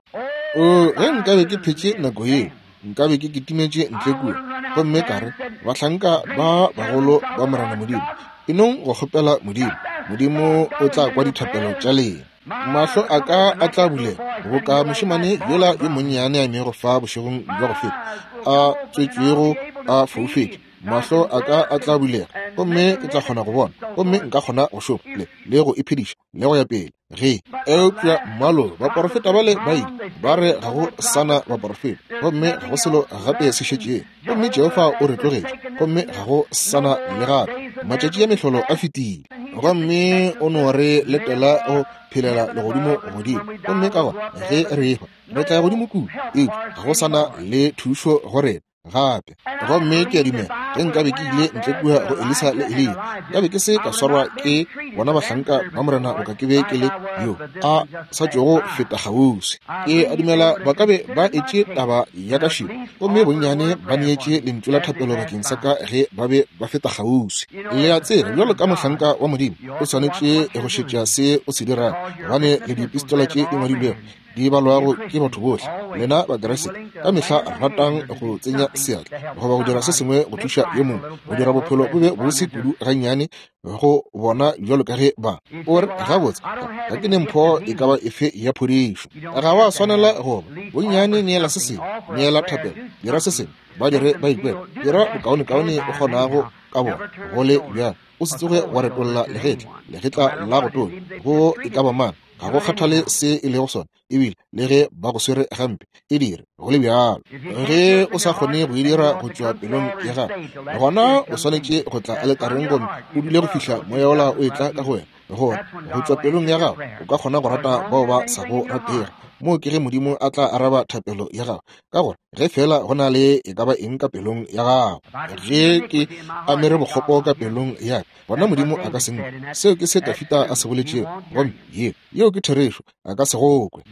O, ge nkabe ke phetše nako yeo, nkabe ke kitimetše ntle kua, gomme ka re, bahlanka ba bagolo ba Morena Modimo, enong go kgopela Modimo, Modimo o tla kwa dithapelo tša lena. Mahlo a ka a tla bulega boka mošemane yola yo monnyane a emego fa bošegong bja go feta, a tswetšwego a foufetše. Mahlo a ka a tla bulega, gomme ke tla kgona go bona, gomme nka kgona go šoma le, le go iphediša le go ya pele. Ge eupša mmalo baporofeta bale ba ile ba re ga go sana baporofeta, gomme ga go selo gape se šetšego, gomme Jehofa o re tlogetše, gomme ga go sana le gape, matšatši a mehlolo a fetile. Gomme o no re letela go phelela legodimo godimo, gomme ka gona ge re ehwa re tla ya godimo kudu, eupša ga go sana le thušo go rena. gape. Gomme ke a dumela ge nkabe ke ile ntle kua go Elisa le Eliya, nkabe ke se ka swarwa ke bona bahlanka ba Morena boka ke be ke le yo a sa tšogo feta kgauswi. Ke a dumela ba ka be ba etše taba ya ka šio, gomme bonnyane ba neetše lentšu la thapelo bakeng sa ka ge ba be ba feta kgauswi. Le a tseba, bjalo ka mohlanka wa Modimo, o swanetše go šetša se o se dirago, gobane le dipistola tše di ngwadilwego di balwago ke batho bohle. Lena Bakeresete ka mehla ratang go tsenya seatla goba go dira se sengwe go thuša yo mongwe, go dira bophelo bo be bose kudu gannyane go bona bjalo ka ge ba o re, gabotse ga ke ne mpho e ka ba efe ya phodišo. Ga wa swanela go ba bonnyane, neela se sengwe, neela thapelo, dira se sengwe, ba dire ba ikwele, dira bokaonekaone o kgonago ka bona. Go le bjalo, o se tsoge wa retolla legetla, legetla la go tonya go e ka ba mang, ga go kgathale se e lego sona, ebile le ge ba go swere gampe, e dire go le bjalo. Ge o sa kgone go e dira go tšwa pelong ya gago, gona o swanetše go tla aletareng gomme o dule go fihla moya wola o etla ka go wena, gore go tšwa pelong ya gago o ka kgona go rata bao ba sa go ratego. Moo ke ge Modimo a tla araba thapelo ya gago, ka gore ge fela go na le e ka ba eng ka pelong ya gago, ge ke amere bokgopo ka pelong ya ka, gona Modimo a ka se nkwe. Seo ke se Dafida a se boletšego, gomme yeo yeo ke therešo, a ka se go kwe.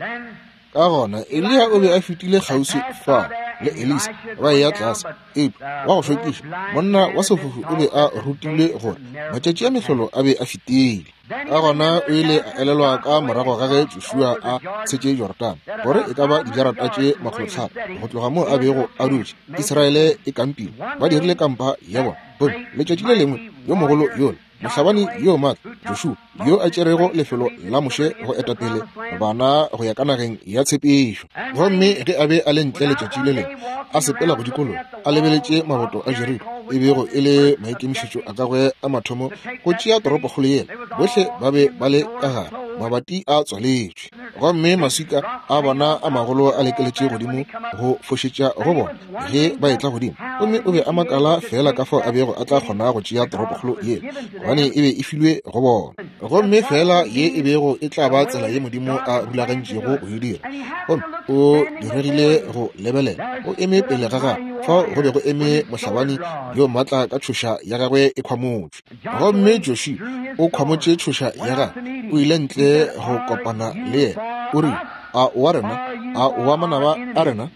Ka gona Eliya o be a fetile kgauswi fa le Elisa ba eya tlase, eupša wa go šokiša monna wa sefofu o be a rutilwe gore matšatši a mehlolo a be a fetile. Ka gona o ile a elelwa ka morago ga ge Joshua a tshetše Jorodane gore e ka ba dijarata tše makgolotlhano go tloga moo a bego a dutše, Israele e kampile, ba dirile kampa ya bona. Gomme letšatši le lengwe yo mogolo yola, mohlabani yo maatla Joshua, yo a tšerego lefelo la Moshe go etapele bana go ya ka nageng ya tshepišo, gomme ge a be a le ntle letšatši le lengwe a sepela go dikologa a lebeletše maboto a Jeriko, e bego e le maikemišetšo a gagwe a mathomo go tšea toropokgolo yela. Bohle ba be ba le ka gare, mabati a tswaletšwe, gomme maswika a bona a magolo a lekeletše godimo go fošetša go bona ge ba etla godimo. Gomme o be a makala fela ka fao a bego a tla kgona go tšea toropokgolo yela, gobane e be e filwe go bona, gomme fela ye e bego e tla ba tsela ye Modimo a rulagantšego go e dira. Gomme o diregile go lebelela, o eme pele ga gagwe fao go be go eme mohlabani yo maatla ka tšhoša ya gagwe e khwamotšwe. Gomme Joshua o khwamotše tšhoša ya gagwe, o ile ntle go kopana le yena, o rile, a o wa rena, a o wa manaba a rena?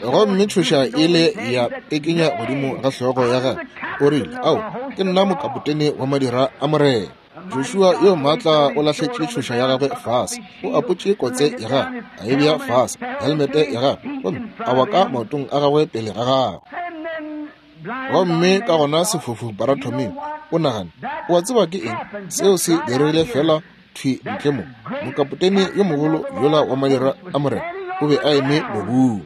Gomme tšhoša ile ya pekenya godimo ga hlogo ya gagwe, o rile, ao, ke nna mokapotene wa madira a Morena. Joshua yo maatla o lahletše tšhoša ya gagwe fase, o apotše kotse ya gagwe, a e bea fase, helmete ya gagwe, gomme a wa ka maotong a gagwe pele ga gagwe. Gomme ka gona sefofu Bartholomew o nagane, o a tseba ke eng seo se diregile fela thwi ntle mo? Mokapotene yo mogolo yola wa madira a Morena o be a eme mobung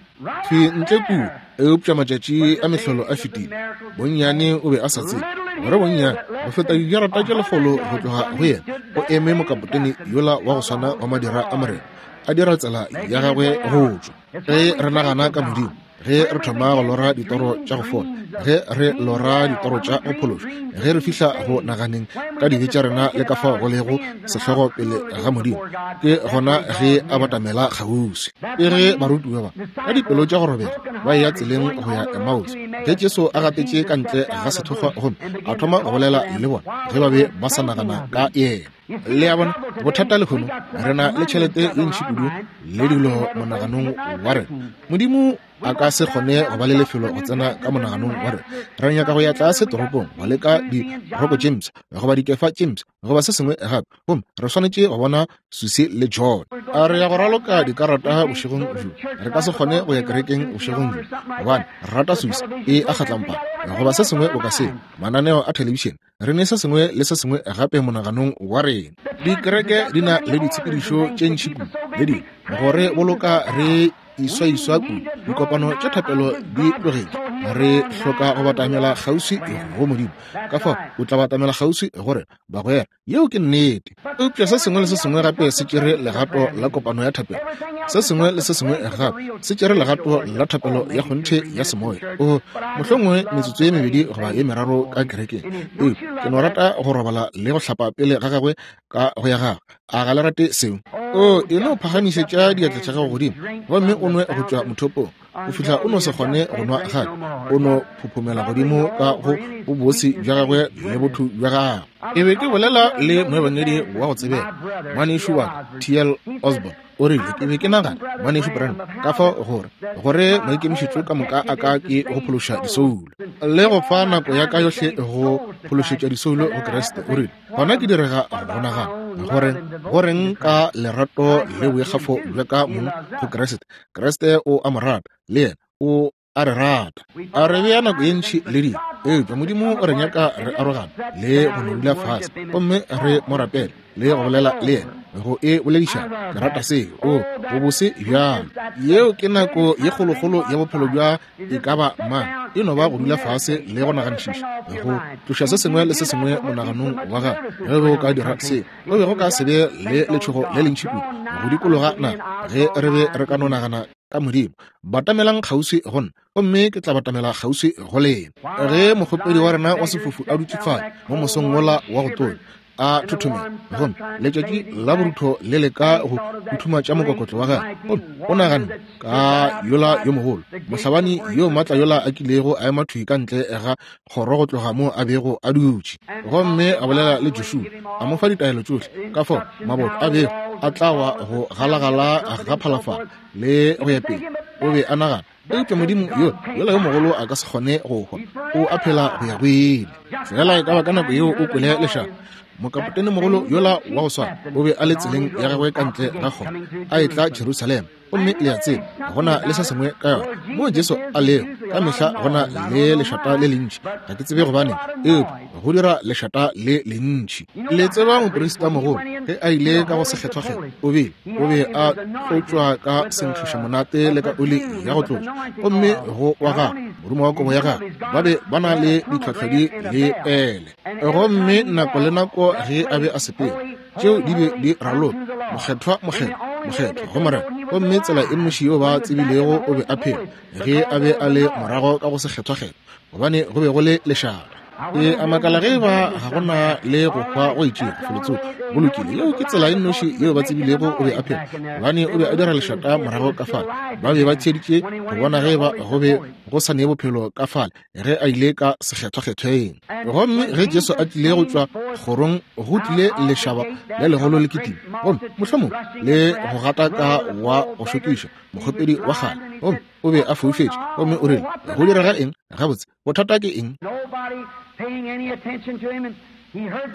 thwi ntle kua, eupša matšatši a mehlolo a fetile. Bonnyane o be a sa tsebe gore bonnyane go feta dijarata tše lekgolo go tloga go yena o eme mokapotene yola wa go swana wa madira a Morena a dira tsela ya gagwe go tšwa. Ge re nagana ka Modimo, ge re thoma go lora ditoro tša go fola, ge re lora ditoro tša go phološwa, ge re fihla go naganeng ka dibe tša rena le ka fao go lego sehlogo pele ga Modimo, ke gona ge a batamela kgauswi. Ke ge barutiwa ba ka dipelo tša go robega ba eya tseleng go ya Emmaus, ge Jesu a gatetše ka ntle ga sethokgwa gomme a thoma go bolela le bona ge ba be ba sa nagana ka yena. Le a bona bothata lehono, re na le tšhelete ye ntši kudu le dilo monaganong wa rena. Modimo a ka se kgone go ba le lefelo go tsena ka monaganong wa rena. Re nyaka go ya tlase toropong go leka diroko tše mpsha goba dikefa tše mpsha goba se sengwe gape, gomme re swanetše go bona Susie le John. A re ya go raloka dikarata bošegong bjo, re ka se kgone go ya kerekeng bošegong bjo gobane re rata Susie e a kgatlampana goba se sengwe boka seo. Mananeo a thelebišene, re ne se sengwe le se sengwe gape monaganong wa rena. Dikereke di na le ditshepedišo tše ntši kudu le dilo gore boloka re iswaiswa kudu. Dikopano tša thapelo di tlogetše, re hloka go batamela kgauswi go Modimo. Ka fao o tla batamela kgauswi go rena bagwera, yeo ke nnete. Eupša se sengwe le se sengwe gape se tšere legato la kopano ya thapelo, se sengwe le se sengwe gape se tšere legato la thapelo ya kgonthe ya semoya. O mohlomongwe metsotso ye mebedi goba ye meraro ka kerekeng, eupša ke no rata go robala le go hlapa pele ga gagwe ka go ya gagwe. A ga le rate seo? O e no phagamišetša diatla tša gago godimo gomme o nwe go tšwa mothopong. Go fihla o no se kgone go nwa gape, o no phophomela godimo ka go bobose bja gagwe le botho bja gagwe. E be ke bolela le moebangedi wa go tsebega, ngwanešu wa ka, T L Osborne. O rile, ke be ke nagana, ngwanešu Branham, ka fao gore gore maikemišetšo ka moka a ka ke go phološa disoulo le go fa nako ya ka yohle go phološetša disoulo go Kriste. O rile, gona ke direga go nagana gore goreng ka lerato le boikgafo bja ka mong go Kriste. Kriste o a mo rata, le yena o a re rata. A re bea nako ye ntši le dilo, eupša Modimo o re nyaka re arogana le go no dula fase gomme re mo rapele le go bolela le yena, go e boledišana. Ke rata seo. O bobose bjalo. Yeo ke nako ye kgolokgolo ya bophelo bja e ka ba mang, e no ba go dula fase le go naganišiša, go tloša se sengwe le se sengwe monaganong wa gago. Ge o ka dira seo, o be go ka se be le letšhogo le lentši kudu go dikologa naga ge re be re ka no nagana ka Modimo. Batamelang kgauswi go nna, gomme ke tla batamela kgauswi go lena. Ge mokgopedi wa rena wa sefofu a dutše fale mo mosong wola wa go tonya, a thothomela, gomme letšatši la borutho le leka go futhumatša mokokotlo wa gagwe, gomme o naganne ka yola yo mogolo mohlabani yo maatla yola a kilego a ema thwi ka ntle ga kgoro go tloga mo a bego a dutše, gomme a bolela le Joshua, a mo fa ditaelo tšohle ka fao maboto a bego a tla wa go galagala ga phalafala le go ya pele. O be a nagana, eupša Modimo yo yola yo mogolo a ka se kgone go hwa, o a phela go ya go ile. Fela e ka ba ka nako yeo o kwele lešata. Mokapotene mogolo yola wa go swana o be a le tseleng ya gagwe ka ntle ga kgoro a etla Jerusalema. Gomme le a tseba go na le se sengwe ka yona mo Jesu a lego ka mehla go na le lešata le lentši. Ga ke tsebe gobane, eupša go dira lešata le lentši. Le tseba moprista mogolo ge a ile ka go sekgethwakgethwa, o be o be a tlotšwa ka senkgišamonate le ka oli ya go tlotša, gomme go wa gagwe morumo wa kobo ya gagwe ba be ba na le ditlhohlodi le pele. Gomme nako le nako ge a be a sepela, tšeo di be di raloka, mokgethwa, mokgethwa, mokgethwa go Morena. Gomme tsela e nnoši yeo ba tsebilego o be a phela ge a be a le morago ka go sekgethwakgethwa, gobane go be go le lešata. E a makala ge ba ga gona le go hwa go itšego felotsoko. Go lokile, yeo ke tsela e nnoši yeo ba tsebilego o be a phela, gobane o be a dira lešata morago ka fale. Ba be ba theeditše go bona ge ba go be go sa nee bophelo ka fale ge a ile ka sekgethwakgethweng. Gomme ge Jesu a tlile go tšwa kgorong, go tlile lešaba le legolo le kitima, gomme mohlomong le go gata ka wa go šokiša mokgopedi wa kgale, gomme o be a foufetše, gomme o rile, go direga eng? Gabotse, bothata ke eng?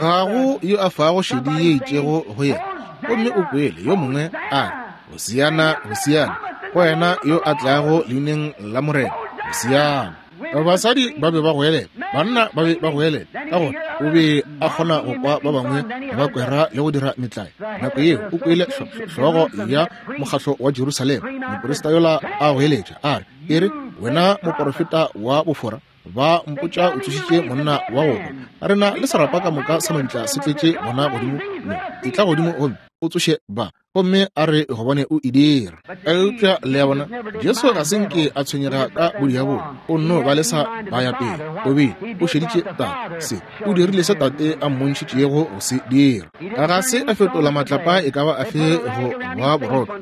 Ga go yo a fago šedi ye itšego go yena. Gomme o kwele yo mongwe a re, Hosiana, Hosiana, go wena yo a tlago leineng la Morena, Hosiana. Basadi ba be ba goelela, banna ba be ba goelela, ka gore o be a kgona go kwa ba bangwe ba kwera le go dira metlae. Nako yeo o kwele hlogo ya mokgatlo wa Jerusalema, moprista yola a goeletša a re, e re wena moporofeta wa bofora, ba mpotša o tsošitše monna wa go hwa. Rena le serapa ka moka sa mabitla se tletše bona godimo mo, etla godimo gomme o tsoše ba. Gomme a re gobane o e dira. Eupša le a bona, Jesu ga se nke a tshwenyega ka bodiabolo, o nno ba lesa ba ya pele. O be o šeditše tate se, o dirile se tate a mmontšhitšego go se dira. Ga se a fetola matlapa e ka ba afe go ba borotho.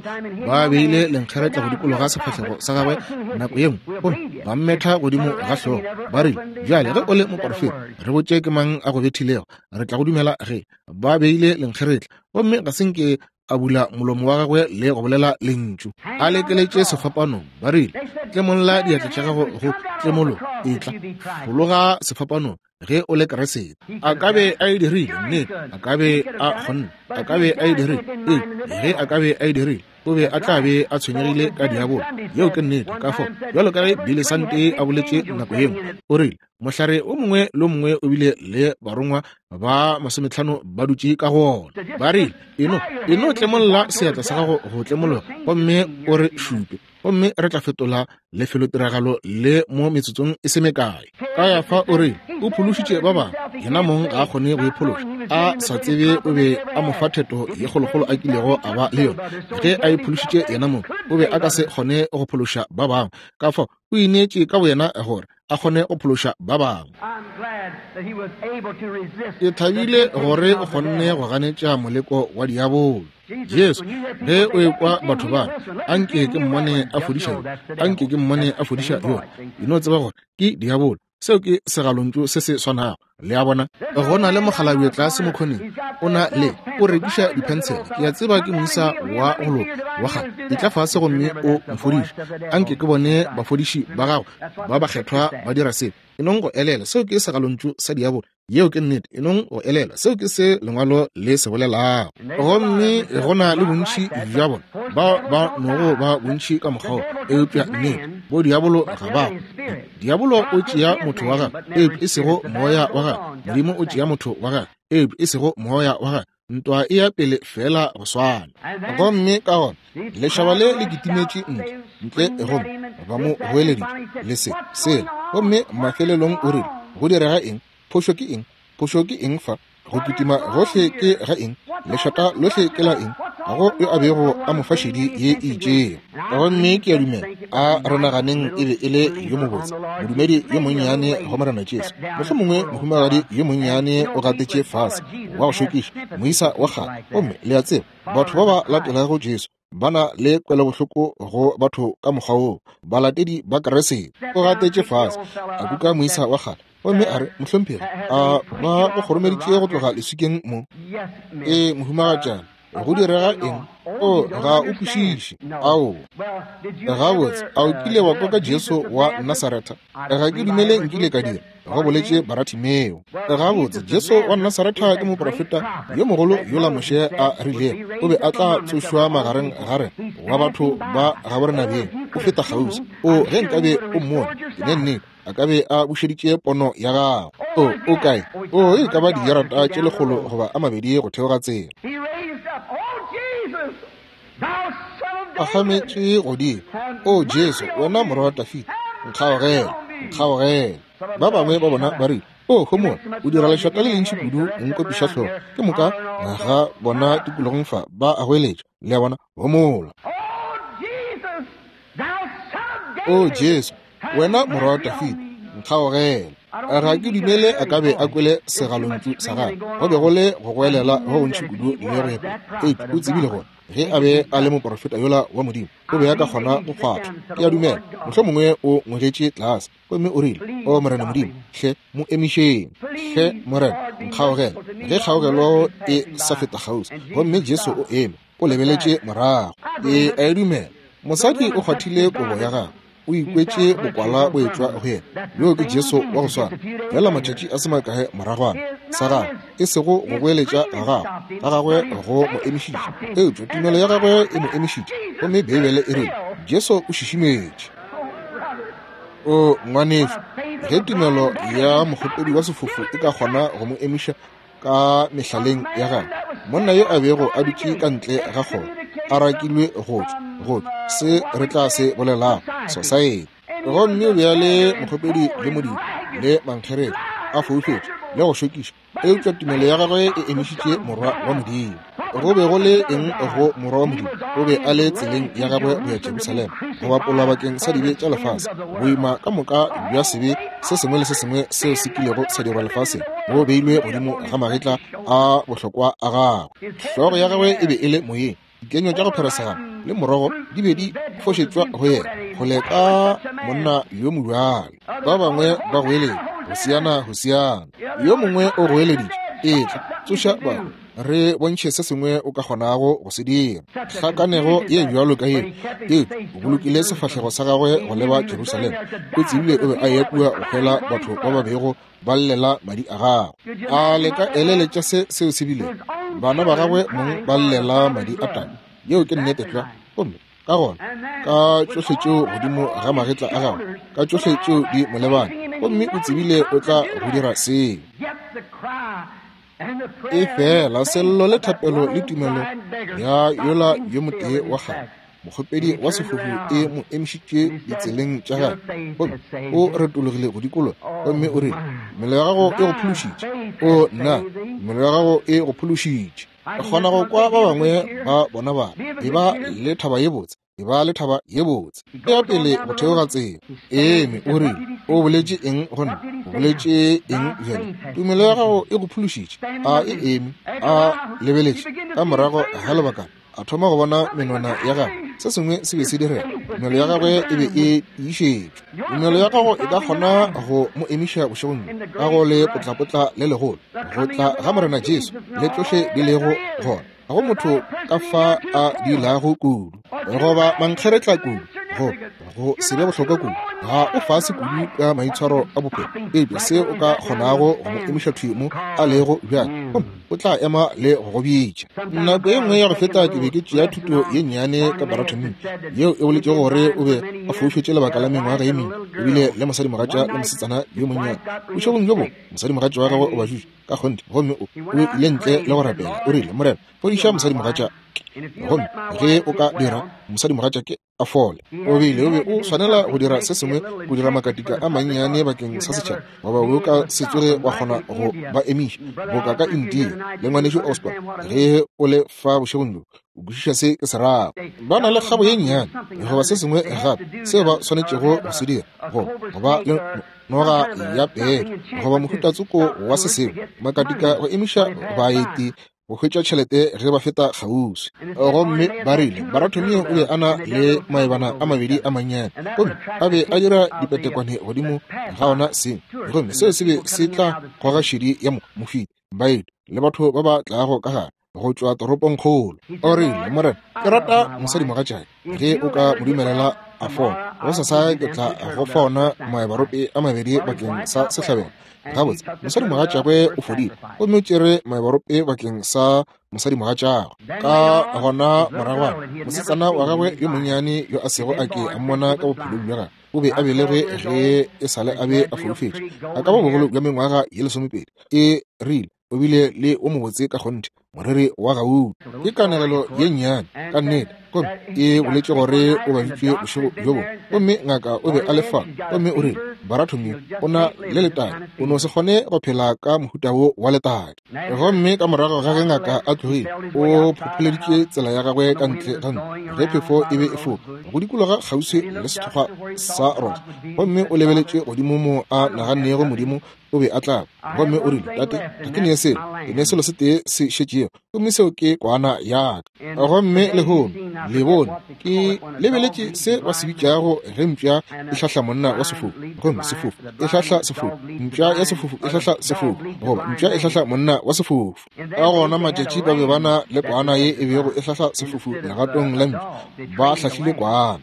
Ba beile lenkgeretla go dikologa sefahlego sa gagwe nako ye nngwe, gomme ba mmetha godimo ga hlogo. Ba rile, bjale ge o le moporofeta, re botše ke mang a go bethilego, re tla go dumela. Ge ba beile lenkgeretla, gomme ga se nke a bula molomo wa gagwe le go bolela lentšu, a lekeletše sefapanong. Ba rile, tlemolla diatla tša gago go tlemolo, etla fologa sefapanong ge o le Kriste. A ka be a e dirile, nnete, a ka be a kgonne, a ka be a e dirile. Ee, ge a ka be a e dirile, o be a tla be a tshwenyegile ka diabolo. Yeo ke nnete. Ka fao, bjalo ka ge Billy Sunday a boletše nako ye nngwe, o rile mohlare o mongwe le o mongwe o bile le barongwa ba masometlhano ba dutše ka go ona. Ba rile, eno eno tlemolla seatla sa gago go tlemologa, gomme o re šupe, gomme re tla fetola lefelotiragalo le mo metsotsong e se mekae. Ka ya fa o rile o phološitše ba bangwe, yena mong ga a kgone go iphološa. A sa tsebe o be a mo fa theto ye kgolokgolo a kilego a ba le yona. Ge a iphološitše yena mong, o be a ka se kgone go phološa ba bangwe. Ka fao o ineetše ka boyena gore a kgone go phološa ba bangwe. Ke thabile gore o kgonne go ganetša moleko wa diabolo. Jesu, ge o ekwa batho ba, anke ke mmone a fodiša yo, anke ke mmone a fodiša yo, e no tseba gore ke diabolo. Seo ke segalontšu se se swanago. Le a bona? Go na le mokgalabje tlase mokgoneng, o na le, o rekiša diphensele. Ke a tseba ke moisa wa go loka wa kgale. Etla fase gomme o mfodiše. Anke ke bone bafodiši ba gago ba bakgethwa ba dira seo. E nong go elela, seo ke segalontšu sa diabolo. Yeo ke nnete. E nong go elela, seo ke se lengwalo le se bolelago. Gomme go na le bontši bja bona bao ba nogo ba bontši ka mokgwa wo, eupša nnete bo diabolo ga ba. Diabolo o tšea motho wa gagwe, eupša e sego moya wa gagwe. Modimo o tšea motho wa gagwe, eupša e sego moya wa gagwe. Ntwa e ya pele fela go swana. Gomme ka gona lešaba le le kitimetše ntle ntle gomme ba mo goeleditše le se sela. Gomme mafelelong o rile, go direga eng? Phošo ke eng? Phošo ke eng fa? Go kitima gohle ke ga eng? Lešata lohle ke la eng? Ga go yo a bego a mo fa šedi ye e itšego. Gomme ke a dumela a re naganeng e be e le yo mobotse, modumedi yo monnyane go Morena Jesu. Mohlomongwe mohumagadi yo monnyane o gatetše fase, wa go šokiša, moisa wa kgale. Gomme le a tseba, batho ba ba latelago Jesu ba na le kwelobohloko go batho ka mokgwa woo, balatedi ba Kriste. O gatetše fase, a kuka moisa wa kgale, gomme a re, mohlomphegi, a ba go kgoromeditše go tloga leswikeng mo? Ee, mohumagatšana, go direga eng? O ga o kwešiše. Ao, gabotse, a o kile wa kwa ka Jesu wa Nasaretha? Ga ke dumele nkile ka dira, go boletše Baratimeo. Gabotse, Jesu wa Nasaretha ke moprofeta yo mogolo yola Moshe a rilego o be a tla tsošwa magareng ga rena wa batho ba gaborenabeng. O feta kgauswi. O, ge nkabe o mmone, ke ne nnete a ka be a bušeditše pono ya gago. O, o kae? O, e ka ba dijarata tše lekgolo goba a mabedi go theoga tsela. Phagametše godimo. O Jesu, wena morwa wa Dafida, nkgaogele, nkgaogele. Ba bangwe ba bona ba rile, o homola, o dira lešata le lentši kudu, nkopiša hlogo. Ke moka ga bona tikologong fa ba a goeletša. Le a bona? Homola. O Jesu, wena morwa wa Dafida, nkgaogele. Ga ke dumele a ka be a kwele segalontšu sa gagwe. Go be go le go goelela go gontši kudu le go epa. Eupša o tsebile gore ge a be a le moprofeta yola wa Modimo, o be a ka kgona go kgwathwa. Ke a dumela mohlomongwe o ngwegetše tlase gomme o rile, o Morena Modimo, hle mo emišeng. Hle Morena, nkgaogele. Ge kgaogelo e sa feta kgauswi, gomme Jesu o eme, o lebeletše morago. Ke a e dumela. Mosadi o kgwathile kobo ya gagwe, o ikwetše bokwala bo etšwa go yena. Yo ke Jesu wa go swana, fela matšatši a se makae moragwana sa gagwe, e sego go goeletša ga gagwe ga gagwe go mo emišitše, eupša tumelo ya gagwe e mo emišitše. Gomme Beibele e rile Jesu o šišimetše. O ngwanešu, ge tumelo ya mokgopedi wa sefofu e ka kgona go mo emiša ka mehlaleng ya gagwe, monna yo a bego a dutše ka ntle ga kgoro a rakilwe go tšwa go tšwa se re tla se bolelago society, gomme bjale mokgopedi le modimo le mankgerere a foufetše le go šokiša, eupša tumelo ya gagwe e emišitše morwa wa Modimo. Go be go le eng go morwa wa Modimo? O be a le tseleng ya gagwe go ya Jerusalema go bapolwa bakeng sa dibe tša lefase. Boima ka moka bja sebe se sengwe le se sengwe seo se kilego sa dirwa lefaseng bo beilwe godimo ga magetla a bohlokwa a gagwe. Hlogo ya gagwe e be e le moyeng, dikenywa tša go pheresegana le morogo di be di fošetšwa go yena kgole ka monna yo mobjalo. Ba bangwe ba goeletša, Hosiana, Hosiana. Yo mongwe o goeleditše, etla, tsoša batho, re bontšhe se sengwe o ka kgonago go se dira. Hlakanego ye bjalo ka yeo, eupša o bolokile sefahlego sa gagwe go leba Jerusalema. O tsebile o be a eya kua go hwela batho ba ba bego ba llela madi a gagwe. A le ka eleletša se seo se bilego? Bana ba gagwe mong ba llela madi a tate. Yeo ke nnete tlwa. Gomme ka gona ka tšohle tšeo godimo ga magetla a gagwe, ka tšohle tšeo di mo lebane, gomme o tsebile o tla go dira seo. E fela sello le thapelo le tumelo ya yola yo motee wa kgale mokgopedi wa sefofu e mo emišitše ditseleng tša gagwe, gomme o retologile go dikologa gomme o rile, mmele ya gago e go phološitše. O nna, mmele ya gago e go phološitše. Kgona go kwa ba bangwe ba bona ba e ba le thaba ye botse, e ba le thaba ye botse. Ya pele go theoga tsela, eme o rile, o boletše eng go nna? O boletše eng bjale? Tumelo ya gago e go phološitše. A e eme, a lebeletše ka morago ga lebakana. A thoma go bona menwana ya gagwe. Se sengwe se be se direga. Tumelo ya gagwe e be e tiišetšwe. Tumelo ya gago e ka kgona go mo emiša bošegong bjo ka go le potlapotla le legolo, go tla ga Morena Jesu le tšohle di lego gona. Ga go motho ka fa a diilago kudu goba mankgeretla kudu, go go se be bohlokwa kudu, ga o fase kudu ka maitshwaro a bophelo, eupša se o ka kgonago go mo emiša thwi mo a lego bjale, gomme o tla ema le go go bitša. Nako ye nngwe ya go feta ke be ke tšea thuto ye nnyane ka Baratomeo, yeo e boletšego gore o be a foufetše lebaka la mengwaga ye mengwe, ebile le mosadimogatša le mosetsana yo monnyane. Bošegong bjo bongwe mosadimogatša wa gagwe o ba jutše ka kgonthe, gomme o o ile ntle le go rapela. O rile, Morena, fodiša mosadimogatša gomme ge o ka dira mosadimogatša ke a fole. O bile o be o swanela go dira se sengwe, go dira makatika a mannyane bakeng sa setšhaba, goba o ka se tsoge wa kgona go ba emiša boka ka India. Le ngwanešu Osborne, ge o le fa bošegong bjo, o kwešiša se ke se rago. Ba na le kgabo ye nnyane goba se sengwe gape seo ba swanetšego go se dira, go goba le noga ya pele goba mohutatsoko wa se sengwe, makatika go emiša baeti go hwetša tšhelete ge ba feta kgauswi. Gomme ba rile Baratomeo o be a na le maebana a mabedi a mannyane, gomme a be a dira dipetekwane godimo ga ona seng, gomme seo se be se tla goga šedi ya mofeti, baeti le batho ba ba tlago ka gare go tšwa toropongkgolo. O rile, Morena, ke rata mosadimogatšake, ge o ka mo dumelela a fola, gosasa ke tla go fa ona maebarope a mabedi bakeng sa sehlabelo. Gabotse, mosadimogatšagwe o fodile, gomme o tšere maebarope bakeng sa mosadimogatšagwe. Ka gona moragwana, mosetsana wa gagwe yo monnyane yo a sego a ke a mmona ka bophelong bja gagwe, o be a belegwe ge e sale a be a foufetše, a ka ba bogolo bja mengwaga ye lesomepedi. E rile o bile le o mobotse ka kgonthe, moriri wa gauta. Ke kanegelo ye nnyane ka nnete, gomme e boletše gore o baditšwe bošego bjo bongwe, gomme ngaka o be a le fa, gomme o rile, Baratomeo o na le letadi, o no se kgone go phela ka mohuta wo wa letadi. Gomme ka morago ga ge ngaka a tlogile, o phopholeditše tsela ya gagwe ka ntle ga ntlo ge phefo e be e foka go dikologa kgauswi le sethokgwa sa rosa, gomme o lebeletše godimo mo a nagannego Modimo o be a tla. Gomme o rile, Tate, ga ke nee selo, ke ne selo se tee se šetšego, gomme seo ke kwana ya ka. Gomme lehono le bone ke lebeletše se ba se bitšago ge mpša e hlahla monna wa sefofu, gomme sefofu e hlahla sefofu, mpša ya sefofu e hlahla sefofu, goba mpša e hlahla monna wa sefofu. Ka gona matšatši ba be ba na le kwana ye e bego e hlahla sefofu legatong la mpša, ba hlahlile kwana.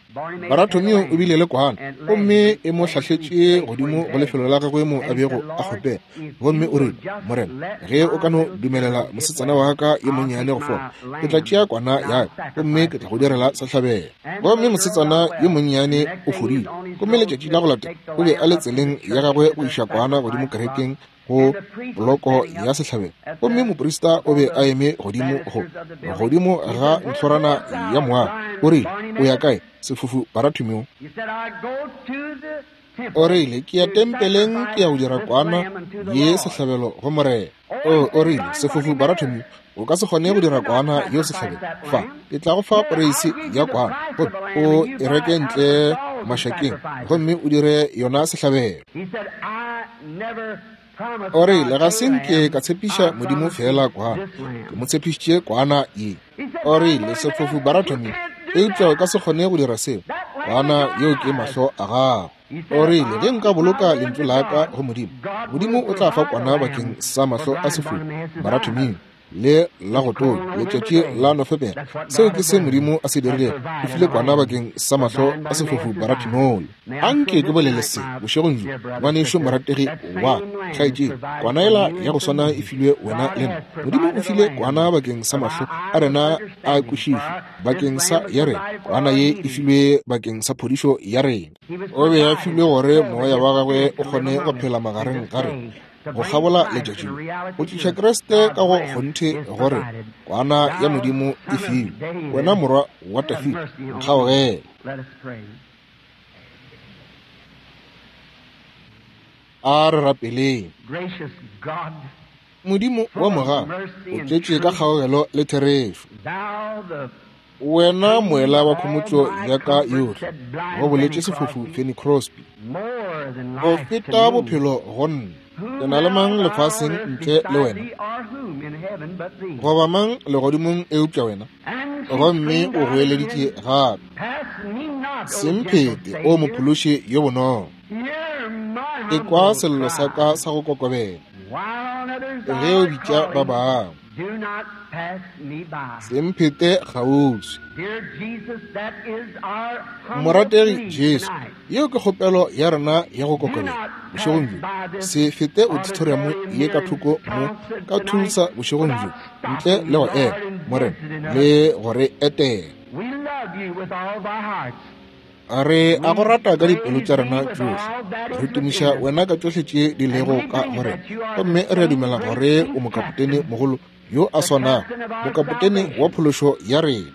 Baratomeo o bile le kwana, gomme e mo hlahletše godimo go lefelo la gagwe mo a bego a kgopela. Gomme o rile, Morena, ge o ka no dumelela mosetsana wa ka yo monnyane go fola, ke tla tšea kwana ya ka gomme ke tla go direla sehlabelo. Gomme mosetsana yo monnyane o fodile, gomme letšatši la go latela o be a le tseleng ya gagwe go iša kwana godimo kerekeng go poloko ya sehlabelo, gomme moprista o be a eme godimo go godimo ga ntlhorana ya moago. O rile, O ya kae, sefofu Baratomeo? O rile, ke ya tempeleng, ke ya go dira kwana ye sehlabelo go Morena. O, o rile, sefofu Baratomeo, o ka se kgone go dira kwana yeo sehlabelo. Fa, ke tla go fa poreisi ya kwana, gomme o e reke ntle mašakeng, gomme o dire yona sehlabelo. O rile, ga se nke ka tshepiša Modimo fela kwana, ke mo tshepišitše kwana ye. O rile, sefofu Baratomeo, eupša o ka se kgone go dira seo, kwana yeo ke mahlo a gago. O rile, ge nka boloka lentšu la ka go Modimo, Modimo o tla fa kwana bakeng sa mahlo a sefofu Baratomeo le la go tonya letšatši la Nofemere. Seo ke se Modimo a se dirilego, o file kwana bakeng sa mahlo a sefofu Baratomeo. Anke ke bolele se bošegong bjo, ngwanešu morategi wa kgaetšedi, kwana yela ya go swana e filwe wena le nna. Modimo o file kwana bakeng sa mahlo a rena a kwešišo, bakeng sa ya rena. Kwana ye e filwe bakeng sa phodišo ya rena. O be a filwe gore moya wa gagwe o kgone go phela magareng ga rena go kgabola letšatši, go tliša Kriste ka go kgonthe gore kwana ya Modimo e filwe. Wena morwa wa Dafida, nkgaogele. A re rapeleng. Modimo wa mogau, o tletše ka kgaogelo le therešo. Wena moela wa khomotšo ya ka yohle, go boletše sefofu Fanny Crosby, go feta bophelo go nna. Ke na le mang lefaseng ntle le wena, goba mang legodimong eupša wena? Gomme o goeleditše gape, se mphete, o mophološi yo bonolo. Ekwa sello sa ka sa go kokobela ge o bitša ba bangwe. Se mphete kgauswi. Morategi Jesu, yeo ke kgopelo ya rena ya go kokobela bošegong bjo. Se fete auditorium ye ka thoko mo ka Tulsa bošegong bjo ntle le go ema, Morena, le go re etela. Re a go rata ka dipelo tša rena tšohle. Re tumiša wena ka tšohle tše di lego ka go rena, gomme re a dumela gore o mokapotene mogolo yo a swanago, mokapotene wa phološo ya rena.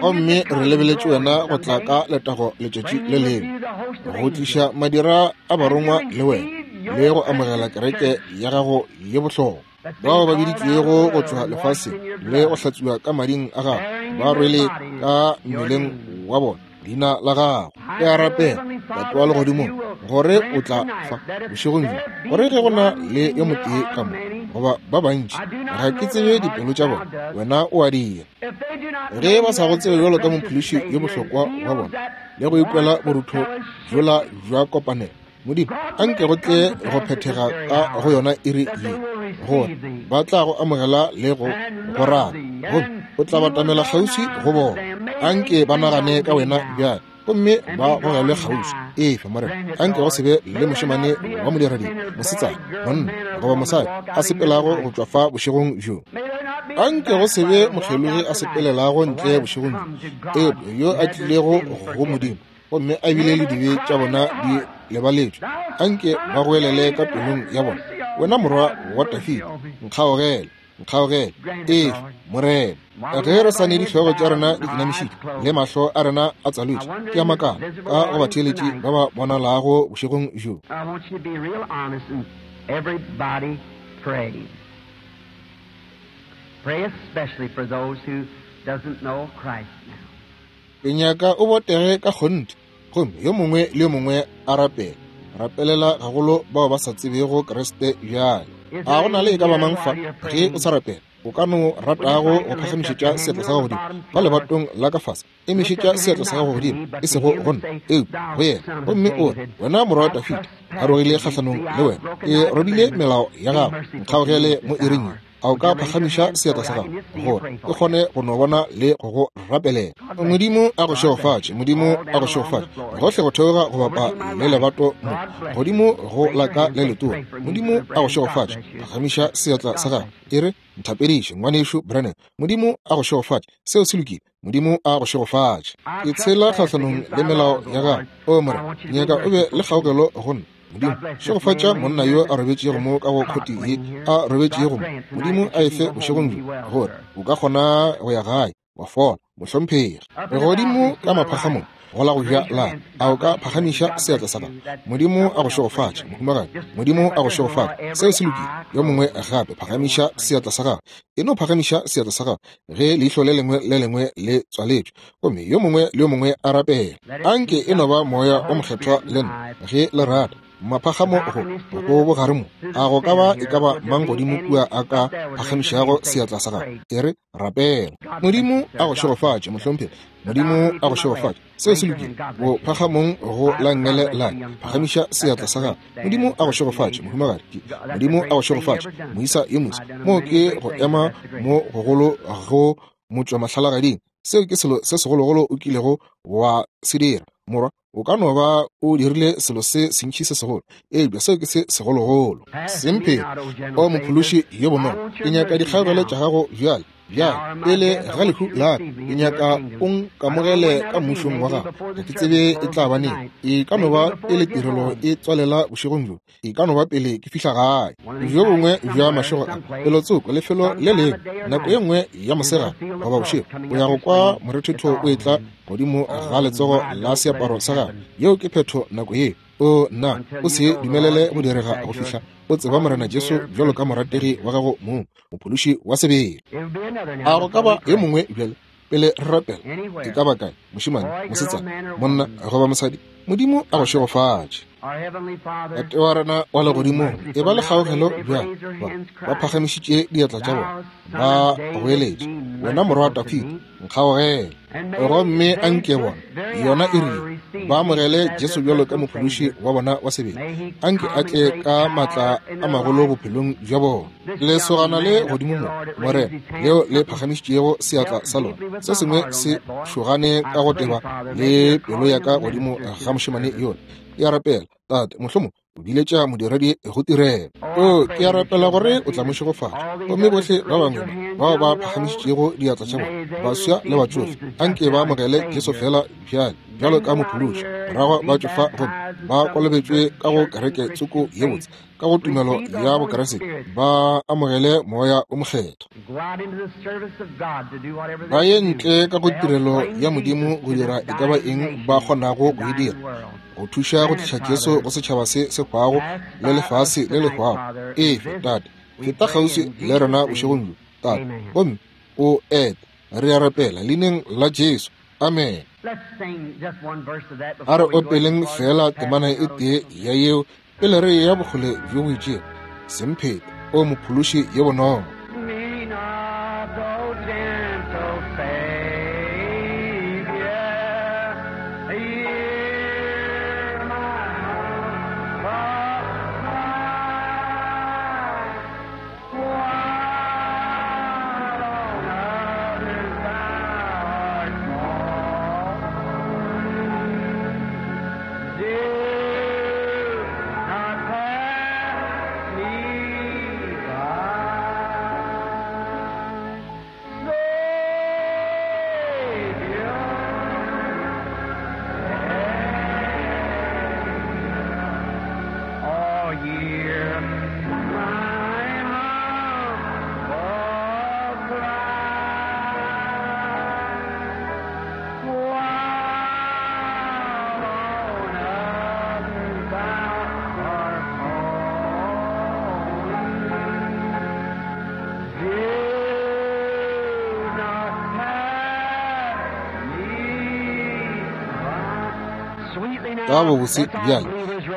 Gomme re lebeletše wena go tla ka letago letšatši le lengwe, go tliša madira a barongwa le wena, le go amogela kereke ya gago ye bohlokwa, bao ba biditšwego go tšwa lefaseng le go hlatswiwa ka mading a gago, ba rwele ka mmeleng wa bona leina la gago. Ke a rapela, Tate wa legodimong, gore o tla fa bošegong bjo, gore ge go na le yo motee ka mo goba ba bantši, ga ke tsebe dipelo tša bona, wena o a dira. Ge ba sa go tsebe bjalo ka mophološi yo bohlokwa wa bona le go ikwela borutho bjola bja kopanelo, Modimo, anke go tle go phethega ka go yona iri ye, gore ba tla go amogela le go go rata, gomme o tla batamela kgauswi go bona. Anke ba nagane ka wena bjale, gomme ba gogelwe kgauswi. Efe, Morena, anke go se be le mošemane wa modiradibe, mosetsana, monna goba mosadi a sepelago go tšwa fa bošegong bjo. Anke go se be mokgelogi a sepelelago ntle bošegong bjo, eupša yo a tlilego go Modimo gomme a bile le dibe tša bona di lebaletšwe. Anke ba goelele ka pelong ya bona, wena morwa wa Dafida, nkgaogele, nkgaogele. Efe, Morena, ge re sa ne dihlogo tša rena di inamišitše le mahlo a rena a tswalotšwe, ke a makala ka go batheeletši ba ba bonalago bošegong bjo. Ke nyaka o botege ka kgonthe, gomme yo mongwe le yo mongwe a rapele. Rapelela gagolo bao ba sa tsebego Kriste bjale. A go na le e ka ba mang fa ge o sa rapela, o ka no ratago go phagamišetša seatla sa gago godimo ka lebatong la ka fase? Emišetša seatla sa gago godimo, e sego go nna, eupša go yena, gomme o re, wena morwa wa Dafida, a rogile kgahlanong le wena, ke robile melao ya gago, nkgaogele mo iring ye. A o ka phagamiša seatla sa gago gore ke kgone go no bona le go go rapelela? Modimo a go šegofatše, Modimo a go šegofatše gohle go theoga go bapa le lebato mo godimo go la ka le letona. Modimo a go šegofatše, phagamiša seatla sa gago, e re, nthapediše ngwanešu Branham. Modimo a go šegofatše, seo se lokile. Modimo a go šegofatše. Ke tshela kgahlanong le melao ya gago. O Morena, nyaka o be le kgaogelo go nna. Modimo, šegofatša monna yo a robetšego mo ka go khoti ye a robetšego mo. Modimo a efe bošegong bjo gore o ka kgona go ya gae wa fola, mohlomphegi. Godimo ka maphagamong go la go ja la, a o ka phagamiša seatla sa gago? Modimo a go šegofatše, mohumagadi. Modimo a go šegofatše, seo se lokile. Yo mongwe gape phagamiša seatla sa gago. E no phagamiša seatla sa gago ge leihlo le lengwe le lengwe le tswaletšwe, gomme yo mongwe le yo mongwe a rapela. Anke e no ba moya o mokgethwa le nna ge le rata. Maphagamo go go bogare mo, a go ka ba e ka ba mang godimo kua a ka phagamišago seatla sa gago? E re, rapela. Modimo a go šegofatše, mohlomphegi. Modimo a go šegofatše, seo se lokile. Bo phagamong go la nngele la, phagamiša seatla sa gago. Modimo a go šegofatše, mohumagadi. Modimo a go šegofatše, moisa yo moso. Mo ke go ema mo gogolo go motšwa mahlalagading. Seo ke selo se segologolo o kilego wa se dira, morwa. O ka no ba o dirile selo se sentši se segolo, eupša seo ke se segologolo. Semphele, o mophološi yo bonolo, ke nyaka dikgaogelo tša gago bjale, bjale pele ga lehu la ka. Ke nyaka o nkamogele ka mmušong wa gago. Ga ke tsebe e tla ba neng. E ka no ba pele tirelo e tswalela bošegong bjo, e ka no ba pele ke fihla gae. Bjo bongwe bja mašego a pelotsoko lefelo le lengwe, nako ye nngwe ya mosegare goba bošego, o ya go kwa morethetho o etla godimo ga letsogo la seaparo sa gago. Yeo ke phetho nako ye. O nna, o se dumelele go direga go fihla o tseba Morena Jesu bjalo ka morategi wa gago mong, mophološi wa sebele. A go ka ba yo mongwe bjale pele re rapela? E ka ba kae, mošemane, mosetsana, monna goba mosadi? Modimo a go šegofatše. Tate wa rena wa legodimong, e ba le kgaogelo bjale ba ba phagamišitše diatla tša bona, ba goeletša, wena morwa wa Dafida, nkgaogele. Gomme a nke bona, yona e rile, ba amogele Jesu bjalo ka mophološi wa bona wa sebele. A nke a tle ka maatla a magolo bophelong bja bona. Lesogana le godimo mo, Morena, leo le phagamišitšego seatla sa lona, se sengwe se šogane ka go teba le pelo ya ka godimo ga mošemane yola. Ke a rapela, Tate, mohlomong o biletša modiredi go tirelo. O, ke a rapela gore o tla mo šegofatša. Gomme bohle ba bangwe ba bao ba phagamišitšego diatla tša bona, baswa le batšofe, anke ba amogele Jesu fela bjale bjalo ka mophološi, morago ba tšwe fa gomme ba kolobetšwe ka go kereke tsoko ye botse, ka go tumelo ya Bokriste, ba amogele moya o mokgethwa. Ba ye ntle ka go tirelo ya Modimo go dira e ka ba eng ba kgonago go e dira, go thuša go tliša Jesu go setšhaba se se hwago le lefase le le hwago. Efe, Tate, feta kgauswi le rena bošegong bjo, Tate, gomme o ete. Re a rapela leineng la Jesu. Amen. A re opeleng fela temana e tee ya yeo pele re ya bokgole bjo bo itšego. Semphete, o mophološi ye bonolo. Ka bobose bjale,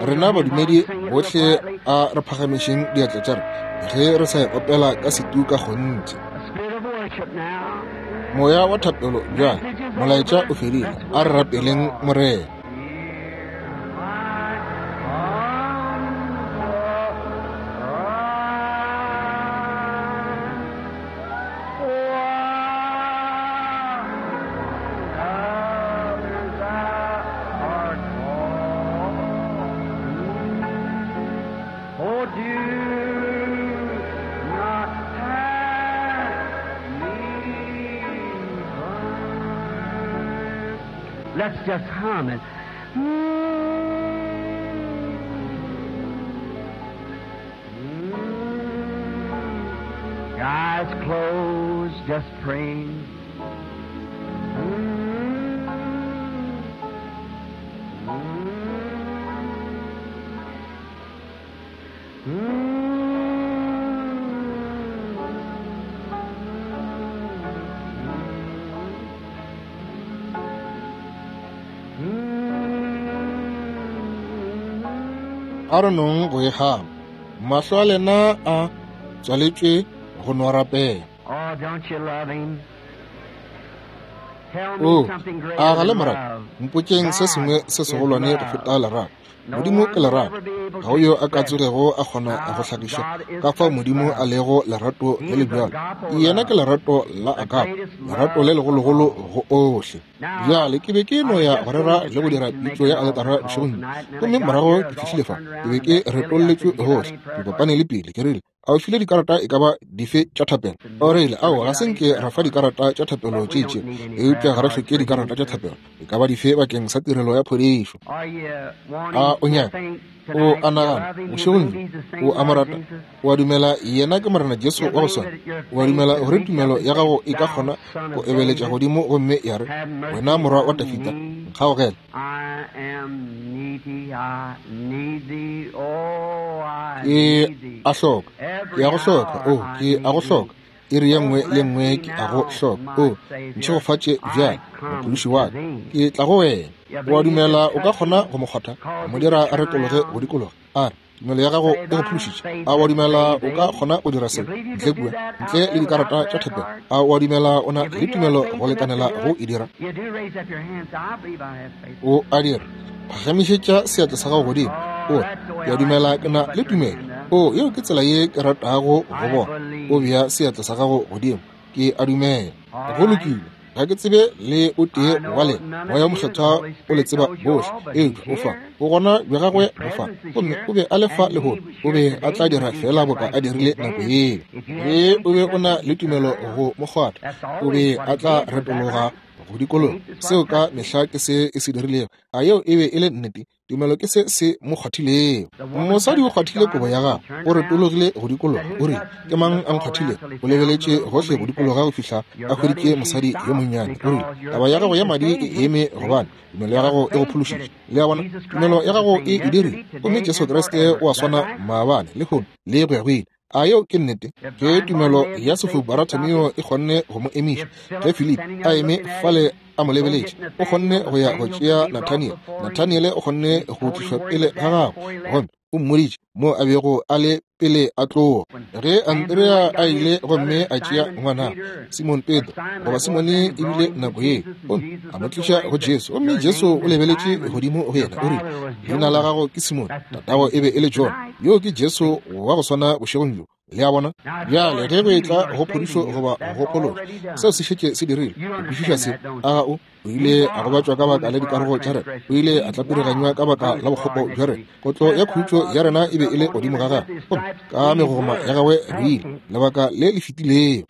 rena badumedi bohle a re phagamišeng diatla tša rena ge re sa e opela ka setu ka kgonthe. Moya wa thapelo bjale, molaetša o fedile, a re rapeleng Morena. Let's just hum it. Mm. Eyes closed, just praying. Mm. Mm. A re nong go e gama, mahlo a lena a tswaletšwe go no rapela. O, a ga le morata? Mpotšeng se sengwe se segolwane go feta lerato. Modimo ke lerato. Ga o yo a ka tsogego a kgona go hlagiša ka fao Modimo a lego lerato le le bjalo. Yena ke lerato la agape, lerato le legologolo go ohle. Bjale ke be ke no ya go rera le go dira pitšo ya aletara bošegong bjo, gomme morago ke fihlile fa, ke be ke retolletšwe gohle. Ke kopane le pele, ke rile, a o file dikarata e ka ba dife tša thapelo? O rile, ao, ga se nke ra fa dikarata tša thapelo tše itšego, eupša ga re hloke dikarata tša thapelo e ka ba dife bakeng sa tirelo ya phodišo. A o nyaka? O a nagana bošegong bjo o a mo rata? O a dumela yena ke Morena Jesu wa go swana? O a dumela gore tumelo ya gago e ka kgona go ebeletša godimo gomme ya re, wena morwa wa Dafida, nkgaogele? Ke a hloka, ke a go hloka, o, ke a go hloka. Iri ye nngwe le nngwe ke a go hloka. O ntšhegofatše bjale, Mophološi wa ka. Ke tla go wena. O a dumela o ka kgona go mo kgwatha, mo dira a retologe go dikologa, a re, tumelo ya gago e go phološitše. A o dumela o ka kgona go dira seo ntle kua, ntle le dikarata tša thapelo? A o dumela o na le tumelo go lekanela go e dira? O a dira. Phagamišetša seatla sa gago godimo. O re, ke a dumela ke na le tumelo. O, yeo ke tsela ye ke ratago go bona. O bea seatla sa gago godimo. Ke a dumela. Go lokile. Ga ke tsebe le o tee wa lena. Moya o Mokgethwa o le tseba bohle. Eupša o fa. O gona bja gagwe bo fa. Gomme o be a le fa lehono. O be a tla dira fela boka a dirile nako yeo. Ge o be o na le tumelo go mo kgwatha, o be a tla retologa go dikologa. Seo ka mehla ke se e se dirilego. A yeo e be e le nnete? Tumelo ke se se mo kgwathilego. Mosadi o kgwathile kobo ya gagwe, o retologile go dikologa, o rile, ke mang a nkgwathilego? O lebeletše gohle go dikologa go fihla a hweditše mosadi yo monnyane. O rile, taba ya gago ya madi e eme, gobane tumelo ya gago e go phološitše. Le a bona, tumelo ya gago e e dirile. Gomme Jesu Kriste o a swana maabane, lehono le go ya go ile. A yeo ke nnete? Ge tumelo ya sefofu Bartimeo e kgonne go mo emiša, ge Philip a eme fale a mo lebeletše, o kgonne go ya go tšea Nathaniel. Nathaniel o kgonne go tlišwa pele ga gagwe, gomme o mmoditše mo a bego a le pele a tloga. Ge Andrea a ile gomme a tšea ngwana Simon Petro, goba Simone e bile nako yeo, gomme a mo tliša go Jesu, gomme Jesu o lebeletše godimo go yena, o rile, leina la gago ke Simone, tatago e be e le John. Yo ke Jesu wa go swana bošegong bjo. Le a bona? Bjale ge go etla go phodišo goba go phološo, seo se šetše se dirile. O kwešiša se? A ga o? O ile a gobatšwa ka baka la dikarogo tša rena. O ile a tlapiriganywa ka baka la bokgopo bja rena. Kotlo ya khutšo ya rena e be e le godimo ga gagwe, gomme ka megogoma ya gagwe re ile lebaka le le fetilego.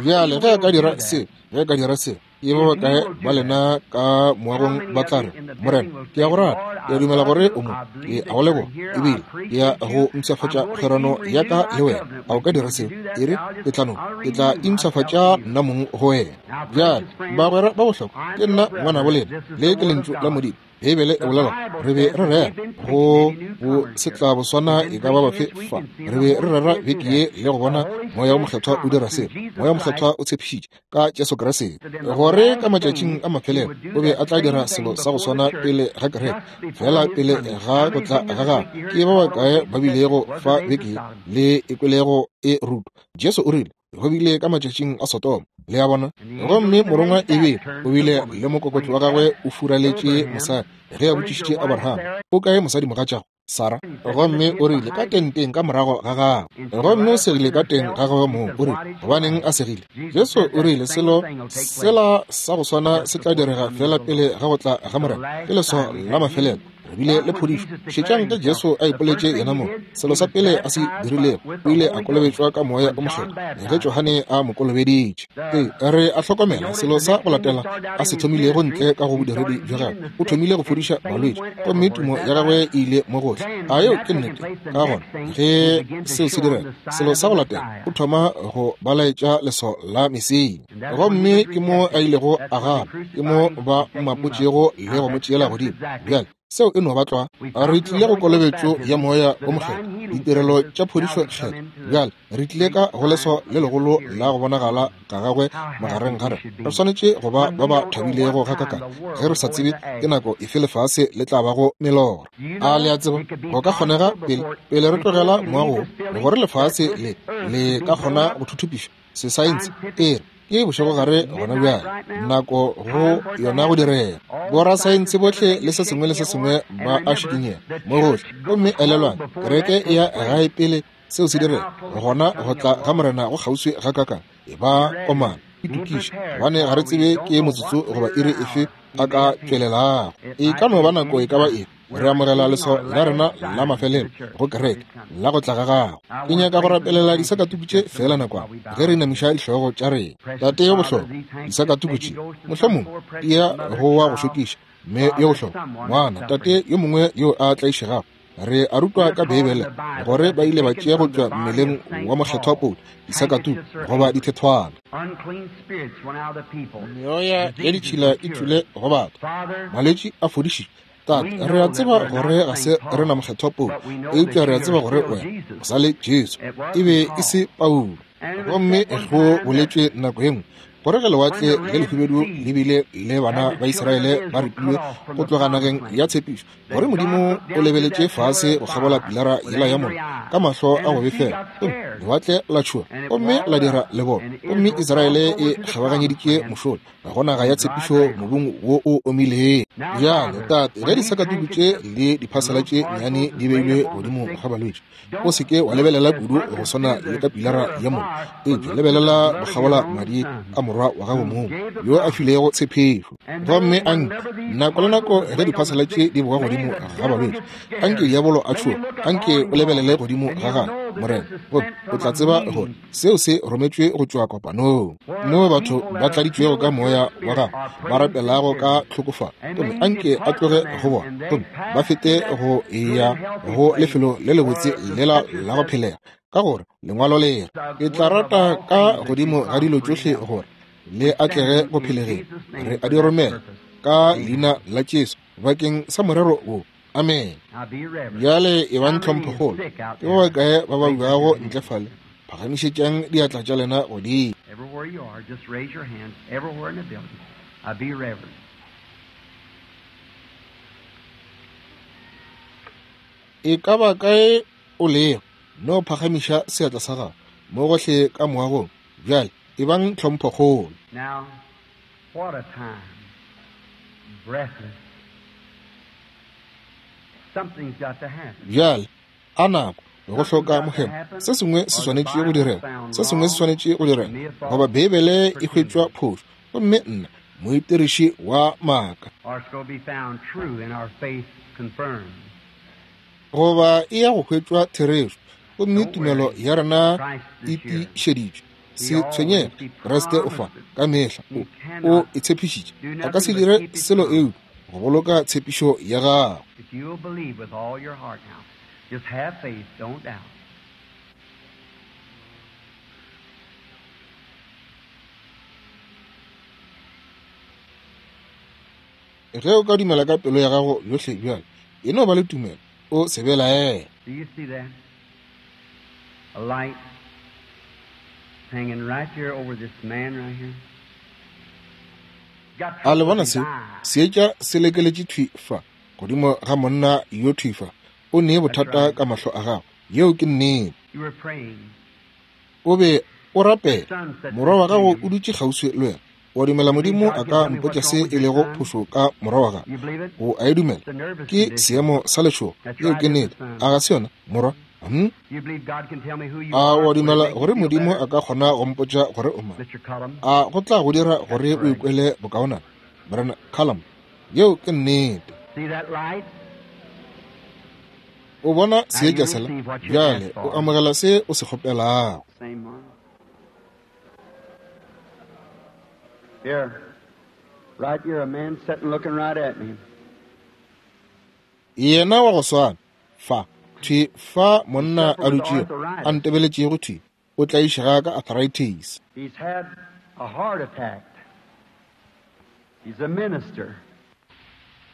Bjale ge a ka dira se, ge a ka dira se, ke ba bakae ba lena ka moagong ba tla re, Morena, ke a go rata, ke a dumela gore o mo, ke a go leboga, ebile ke ya go mpshafatša kgwerano ya ka le wena. A o ka dira seo? E re, ke tla no, ke tla impshafatša nna mong go wena. Bjale, bagwera ba bohlokwa, ke nna ngwanabo lena, le ke lentšu la Modimo. Beibele e bolela re be re rera go bo setlaboswana e ka ba bafe fa. Re be re rera beke ye le go bona Moya o Mokgethwa o dira seo. Moya o Mokgethwa o tshepišitše ka Jesu Kriste gore ka matšatšing a mafelelo o be a tla dira selo sa go swana pele ga kereke, fela pele ga go tla ga gagwe. Ke ba bakae ba bilego fa beke ye le e kwelego e rutwa? Jesu o rile go bile ka matšatšing a Sodoma. Le a bona? Gomme morongwa e be o bile le mokokotlo wa gagwe o furaletše mosadi ge a botšišitše Abraham, o kae mosadi mogatšago Sara? Gomme o rile ka tenteng ka morago ga gagwe. Gomme o segile ka teng ga gagwe mong. O rile, gobaneng a segile? Jesu o rile selo sela sa go swana se tla direga fela pele ga go tla ga Morena. Ke leswao la mafelelo. Re bile le phodišo. Šetšang ge Jesu a ipoletše yena mong. Selo sa pele a se dirilego, o ile a kolobetšwa ka Moya o Mokgethwa ge Johane a mo kolobeditše. Ee, re a hlokomela selo sa go latela a se thomilego ntle ka go bodiredi bja gagwe. O thomile go fodiša balwetši, gomme tumo ya gagwe e ile mo gohle. A yeo ke nnete? Ka gona ge seo se direga, selo sa go latela o thoma go balaetša leswao la Mesia. Gomme ke mo a ilego a gana, ke mo ba mmapotšego le go mo tšeela godimo. Bjale seo e no ba tlwa. Re tlile go kolobetšo ya Moya o Mokgethwa, ditirelo tša phodišo kgetho. Bjale re tlile ka go leswao le legolo la go bonagala ga gagwe magareng ga rena. Re swanetše go ba ba ba thabilego gakakang ge re sa tsebe ke nako efe lefase le tla bago melora. A le a tseba go ka kgonega pele pele re tlogela moago gore lefase le le ka kgona go thuthupišwa sesaense e re ke bošegogare gona bjale, nako go yona go direga. Borasaense bohle le se sengwe le se sengwe ba a šikinyega mo gohle. Gomme elelwang, kereke e ya gae pele seo se direga, gona go tla ga Morena go kgauswi gakakang. E ba komana, itokiše, gobane ga re tsebe ke motsotso goba iri efe a ka tšwelelago. E ka no ba nako e ka ba efe. Re amogela leswao la rena la mafelelo go kereke la go tla ga gago. Ke nyaka go rapelela disakatuku tše fela nakwana ge re inamiša dihlogo tša rena. Tate yo bohlokwa, disakatuku tše mohlomongwe di ya go wa go šokiša, mme yo bohlokwa, ngwana, tate yo mongwe yo a tlaišegago Re a rutwa ka Beibele gore ba ile ba tšea go tšwa mmeleng wa mokgethwa Paulo disakatuku goba dithethwana. Meoya ya ditšhila e tšwile go batho, malwetši a fodišitšwe. Tate, re a tseba gore ga se re na mokgethwa Paulo, eupša re a tseba gore wena o sa le Jesu. E be e se Paulo. Gomme go boletšwe nako ye nngwe gore ge lewatle le lehubedu le bile le bana ba Israele ba ripilwe go tloga nageng ya tshepišo, gore Modimo o lebeletše fase go kgabola pilara yela ya mollo ka mahlo a go befela, gomme lewatle la tšhoga gomme la dira lebone, gomme Israele e kgabaganyeditše mošola go naga ya tshepišo mobung wo o omileng. Bjale Tate, ge disakatuku tše le diphasela tše nnyane di beilwe godimo ga balwetši, o se ke wa lebelela kudu go swana le ka pilara ya mollo, eupša lebelela go kgabola madi a morwa wa gago mong yo a filego tshepišo. Gomme anke nako le nako ge diphasela tše di boga godimo ga balwetši, anke diabolo a tšhoge, anke o lebelele godimo ga gagwe, Morena, gomme o tla tseba gore seo se rometšwe go tšwa kopanong moo batho ba tladitšwego ka moya wa gago ba rapelago ka tlhokofalo, gomme anke a tloge go bona gomme ba fete go ya go lefelo le lebotse lela la go phelega, ka gore lengwalo le re, ke tla rata ka godimo ga dilo tšohle gore le atlege go phelegeng. Re a di romela ka leina la Jesu bakeng sa morero wo. Amen. Bjale e bang tlhomphokgolo. Ke ba bakae ba ba buago ntle fale? Phagamišetšang diatla tša lena godimo. Everywhere you are, just raise your hands everywhere in the building. I be reverent. E ka ba kae o lego, no phagamiša seatla sa gago mo gohle ka moagong. Bjale e bang tlhomphokgolo. Now, what a time. Breathless. Something's got to happen. Bjale a nako go hloka mohemo. Se sengwe se swanetše go direga, se sengwe se swanetše go direga, goba Beibele e hwetšwa phošo, gomme nna moitiriši wa maaka, Or it's going to be found true and our faith confirmed. goba e ya go hwetšwa therešo, gomme tumelo ya rena e tiišeditšwe. Se tshwenyege, Kriste o fa ka mehla, o o e tshepišitše, a ka se dire selo eupša go boloka tshepišo ya gagwe. If you'll believe with all your heart now, just have faith, don't doubt. Ge o ka dumela ka pelo ya gago yohle bjale, e no ba le tumelo, o se belaele. Do you see that? A light hanging right here over this man right here. Got A le trouble bona with his seo? eyes. Seetša se lekeletše thwi fa godimo ga monna yo thwi fa. O ne bothata ka mahlo a gago. Yeo ke nnete. You were praying. O be o rapela. Morwa wa gago o dutše kgauswi le wena. Wa dumela Modimo a ka mpotša se e lego phošo ka morwa wa gago? You believe it? O a e dumela? It's a nervous Ke condition. seemo sa letšhogo. Yeo ke nnete. A ga se yona, morwa? Hmm? You believe God can tell me who you A are? wa Would it dumela make you gore feel Modimo better? a ka kgona go mpotša gore o mang? Mister Cullum? A go tla go dira gore o ikwele bokaonana, Morena Cullum? Yeo ke nnete. See that light? O bona seetša sela? Bjale o amogela se o se kgopelago. Same one. Here, right here, a man sitting looking right at me. Yena wa go swana fa thwi fa monna a dutšego a ntebeletšego thwi, o tlaišega ka arthritis. He's had a heart attack. He's a minister.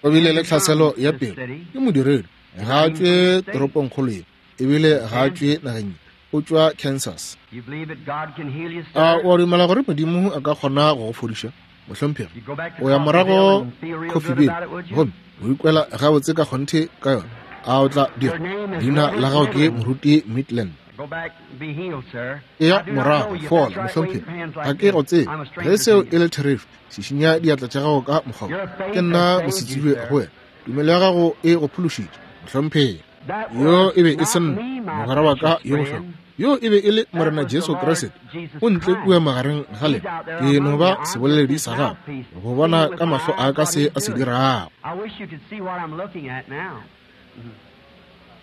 O bile le tlhaselo ya pelo, ke modiredi, ga a tšwe toropongkgolo ye, ebile ga a tšwe nageng ye, o tšwa Kansas. You believe that God can heal you, A sir? o a dumela gore Modimo a ka kgona go go fodiša, mohlomphegi? You go back to O ya morago Coffeyville and feel real good Coffeyville about it, would you? gomme o ikwela gabotse ka kgonthe ka yona. A o tla dira? Leina la gago ke Moruti Midland. Go back and be healed, sir. Eya I do not morago know you. fola, That's right. Wave mohlomphegi. your hands Ga like ke this. go tsebe. I'm a Ge stranger seo to e you. le therešo, šišinya diatla tša gago ka mokgwa wo. Your Ke faith nna has saved you, mosetsebje sir. go wena. Tumelo ya gago e go phološitše, mohlomphegi. That Yo was e be e not se nna, me, my mogwera wa ka precious yo bohlokwa. friend. Yo e be e le That Morena was the Jesu Lord Kriste. Jesus O ntle Christ. kua magareng ga He's lena. out there Ke no among ba you. I'm just seboleledi his sa gagwe, mouthpiece, go seeing bona with ka my mahlo eyes a ka what se he's a se doing. dirago. I wish you could see what I'm looking at now.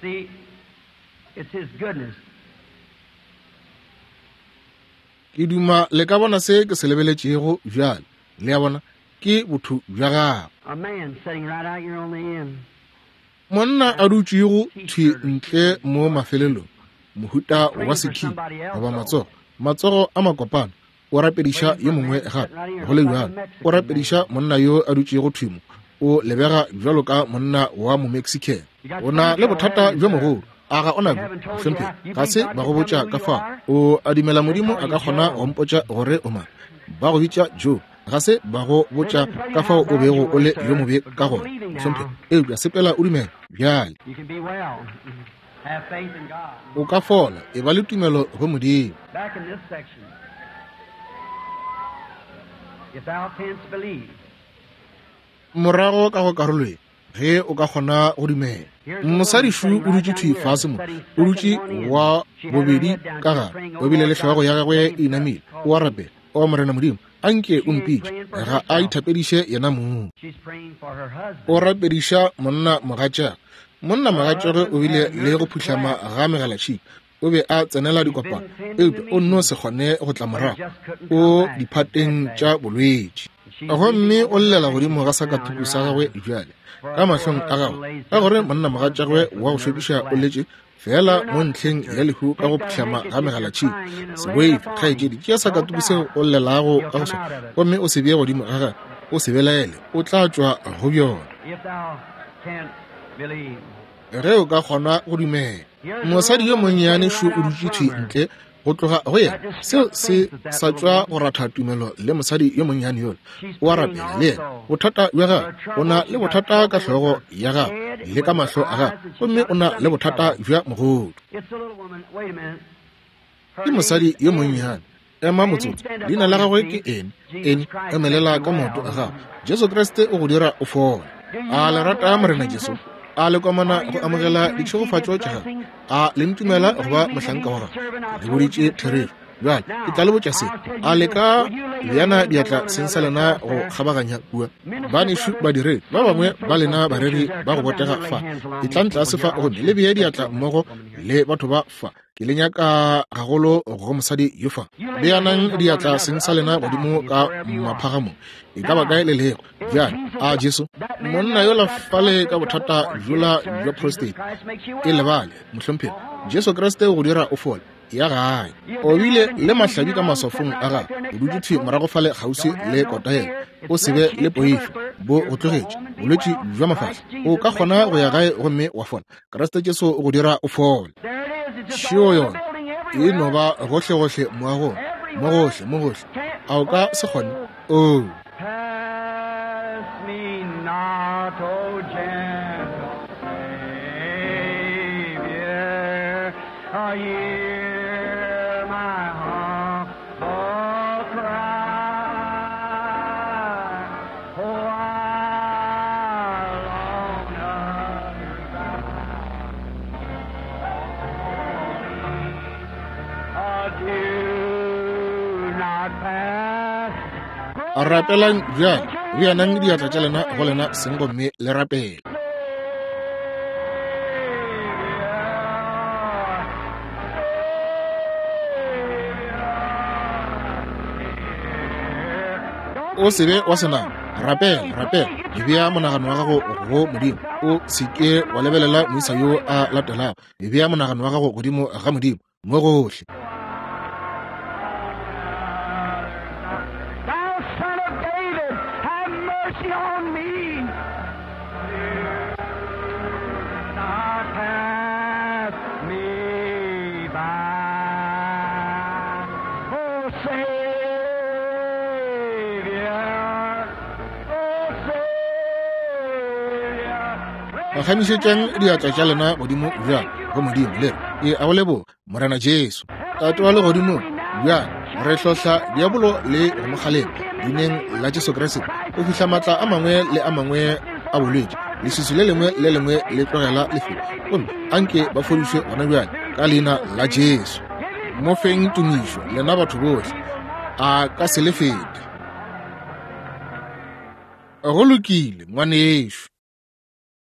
See, it's his goodness. Ke duma le ka bona se ke se lebeletšego bjale. Le a bona, ke botho bja gagwe. A man sitting right out here on the end. Monna a dutšego thwi ntle mo mafelelong, mohuta wa sekhi goba matsogo, matsogo a makopana, o rapediša yo mongwe gape. Go le bjalo, o rapediša monna yo a dutšego thwi mo, o lebega bjalo ka monna wa Momexican. O na le bothata bjo mogolo. A ga o na bjo, mohlomphegi? Ga se ba go botša ka fao. O a dumela Modimo a ka kgona go mpotša gore o mang? Ba go bitša Joe. Ga se ba go botša ka fao o bego o le yo mobe ka gona, mohlomphegi. Eupša sepela o dumela bjale. O ka fola, e ba le tumelo go Modimo. Morago ka go karolo ye, ge o ka kgona go dumela. Mosadišu o dutše thwi fase mo, o dutše wa bobedi ka gare, o bile le hlogo ya gagwe e inamile, o a rapela. O Morena Modimo, a nke o mpitše. Ga a ithapediše yena mong. O rapediša monna mogatšagwe. Monna mogatšagwe o bile le go phuhlama ga megalatšhika. O be a tsenela dikopano, eupša o nno se kgone go tla morago. O diphateng tša bolwetši. Gomme o llela godimo ga sakatuku sa gagwe bjale, ka mahlong a gagwe, ka gore monna mogatšagwe wa go šokiša o letše fela mo ntlheng ya lehu ka go phuhlama ga megalatšhika. Se boife, kgaetšedi, tšea sakatuku seo o llelago ka go sona, gomme o se bee godimo ga gagwe. O se belaele, o tla tšwa go bjona. Ge o ka kgona go dumela. Mosadi yo monnyane šo o dutše thwi ntle go tloga go yena. Seo se sa tšwa go ratha tumelo le mosadi yo monnyane yola. O a rapela le yena. Bothata bja gagwe, o na le bothata ka hlogo ya gagwe le ka mahlo a gagwe, gomme o na le bothata bja mogodu. Ke mosadi yo monnyane. Ema motsotso. Leina la gagwe ke eng? Eng? Emelela ka maoto a gago. Jesu Kriste o go dira o fole. A le rata Morena Jesu? A le komana go amogela ditšhegofatšo tša gagwe? A le ntumela go ba mohlanka wa gagwe? Le boditše therešo. Bjale ke tla le botša se. A le ka bjana diatla seng sa lena go kgabaganya kua? Banešu badiredi ba bangwe ba lena bareri ba go botega fa, etlang tlase fa gomme le bee diatla mmogo le batho ba fa. Ke le nyaka gagolo go mosadi yo fa. Beanang diatla seng sa lena godimo ka maphagamong, e ka ba kae le lego. Bjale a Jesu, monna yola fale ka bothata bjola bja prostate, e lebale, mohlomphegi. Jesu Kriste o go dira o fole. Ya gae. O bile le mahlabi ka maswafong a gagwe. O dutše thwi morago fale kgauswi le kota yela. O se be le poifo, bo go tlogetše. Bolwetši bja mafahla. O ka kgona go ya gae gomme wa fola. Kriste Jesu o go dira o fole. Šeo yona e no ba gohlegohle moagong, mo gohle, mo gohle. A o ka se kgone? Oo. Pass me not, O gentle Savior, hear my humble cry. Oh, I long do not pass. Rapelang bjale, beanang diatla tša lena go lena seng gomme le rapele. O se be wa senama. Rapela, rapela. Bea monagano wa gago go Modimo. O se ke wa lebelela moisa yo a latelago. Bea monagano wa gago godimo ga Modimo mo gohle. Thou son of David, have mercy on me. Not pass me by. Oh, Savior, oh, Savior. Phagamišetšang diatla tša lena godimo bjale go Modimo le re, e a go leboga Morena Jesu. Tate wa legodimong, bjale re hlohla diabolo le go mo kgalema leineng la Jesu Kriste go fihla maatla a mangwe le a mangwe a bolwetši, leswiswi le lengwe le lengwe le tlogela lefelo, gomme anke ba fodišwe gona bjale ka leina la Jesu. Mo feng tumišo lena batho bohle, a ka se le fete. Go lokile ngwanešo.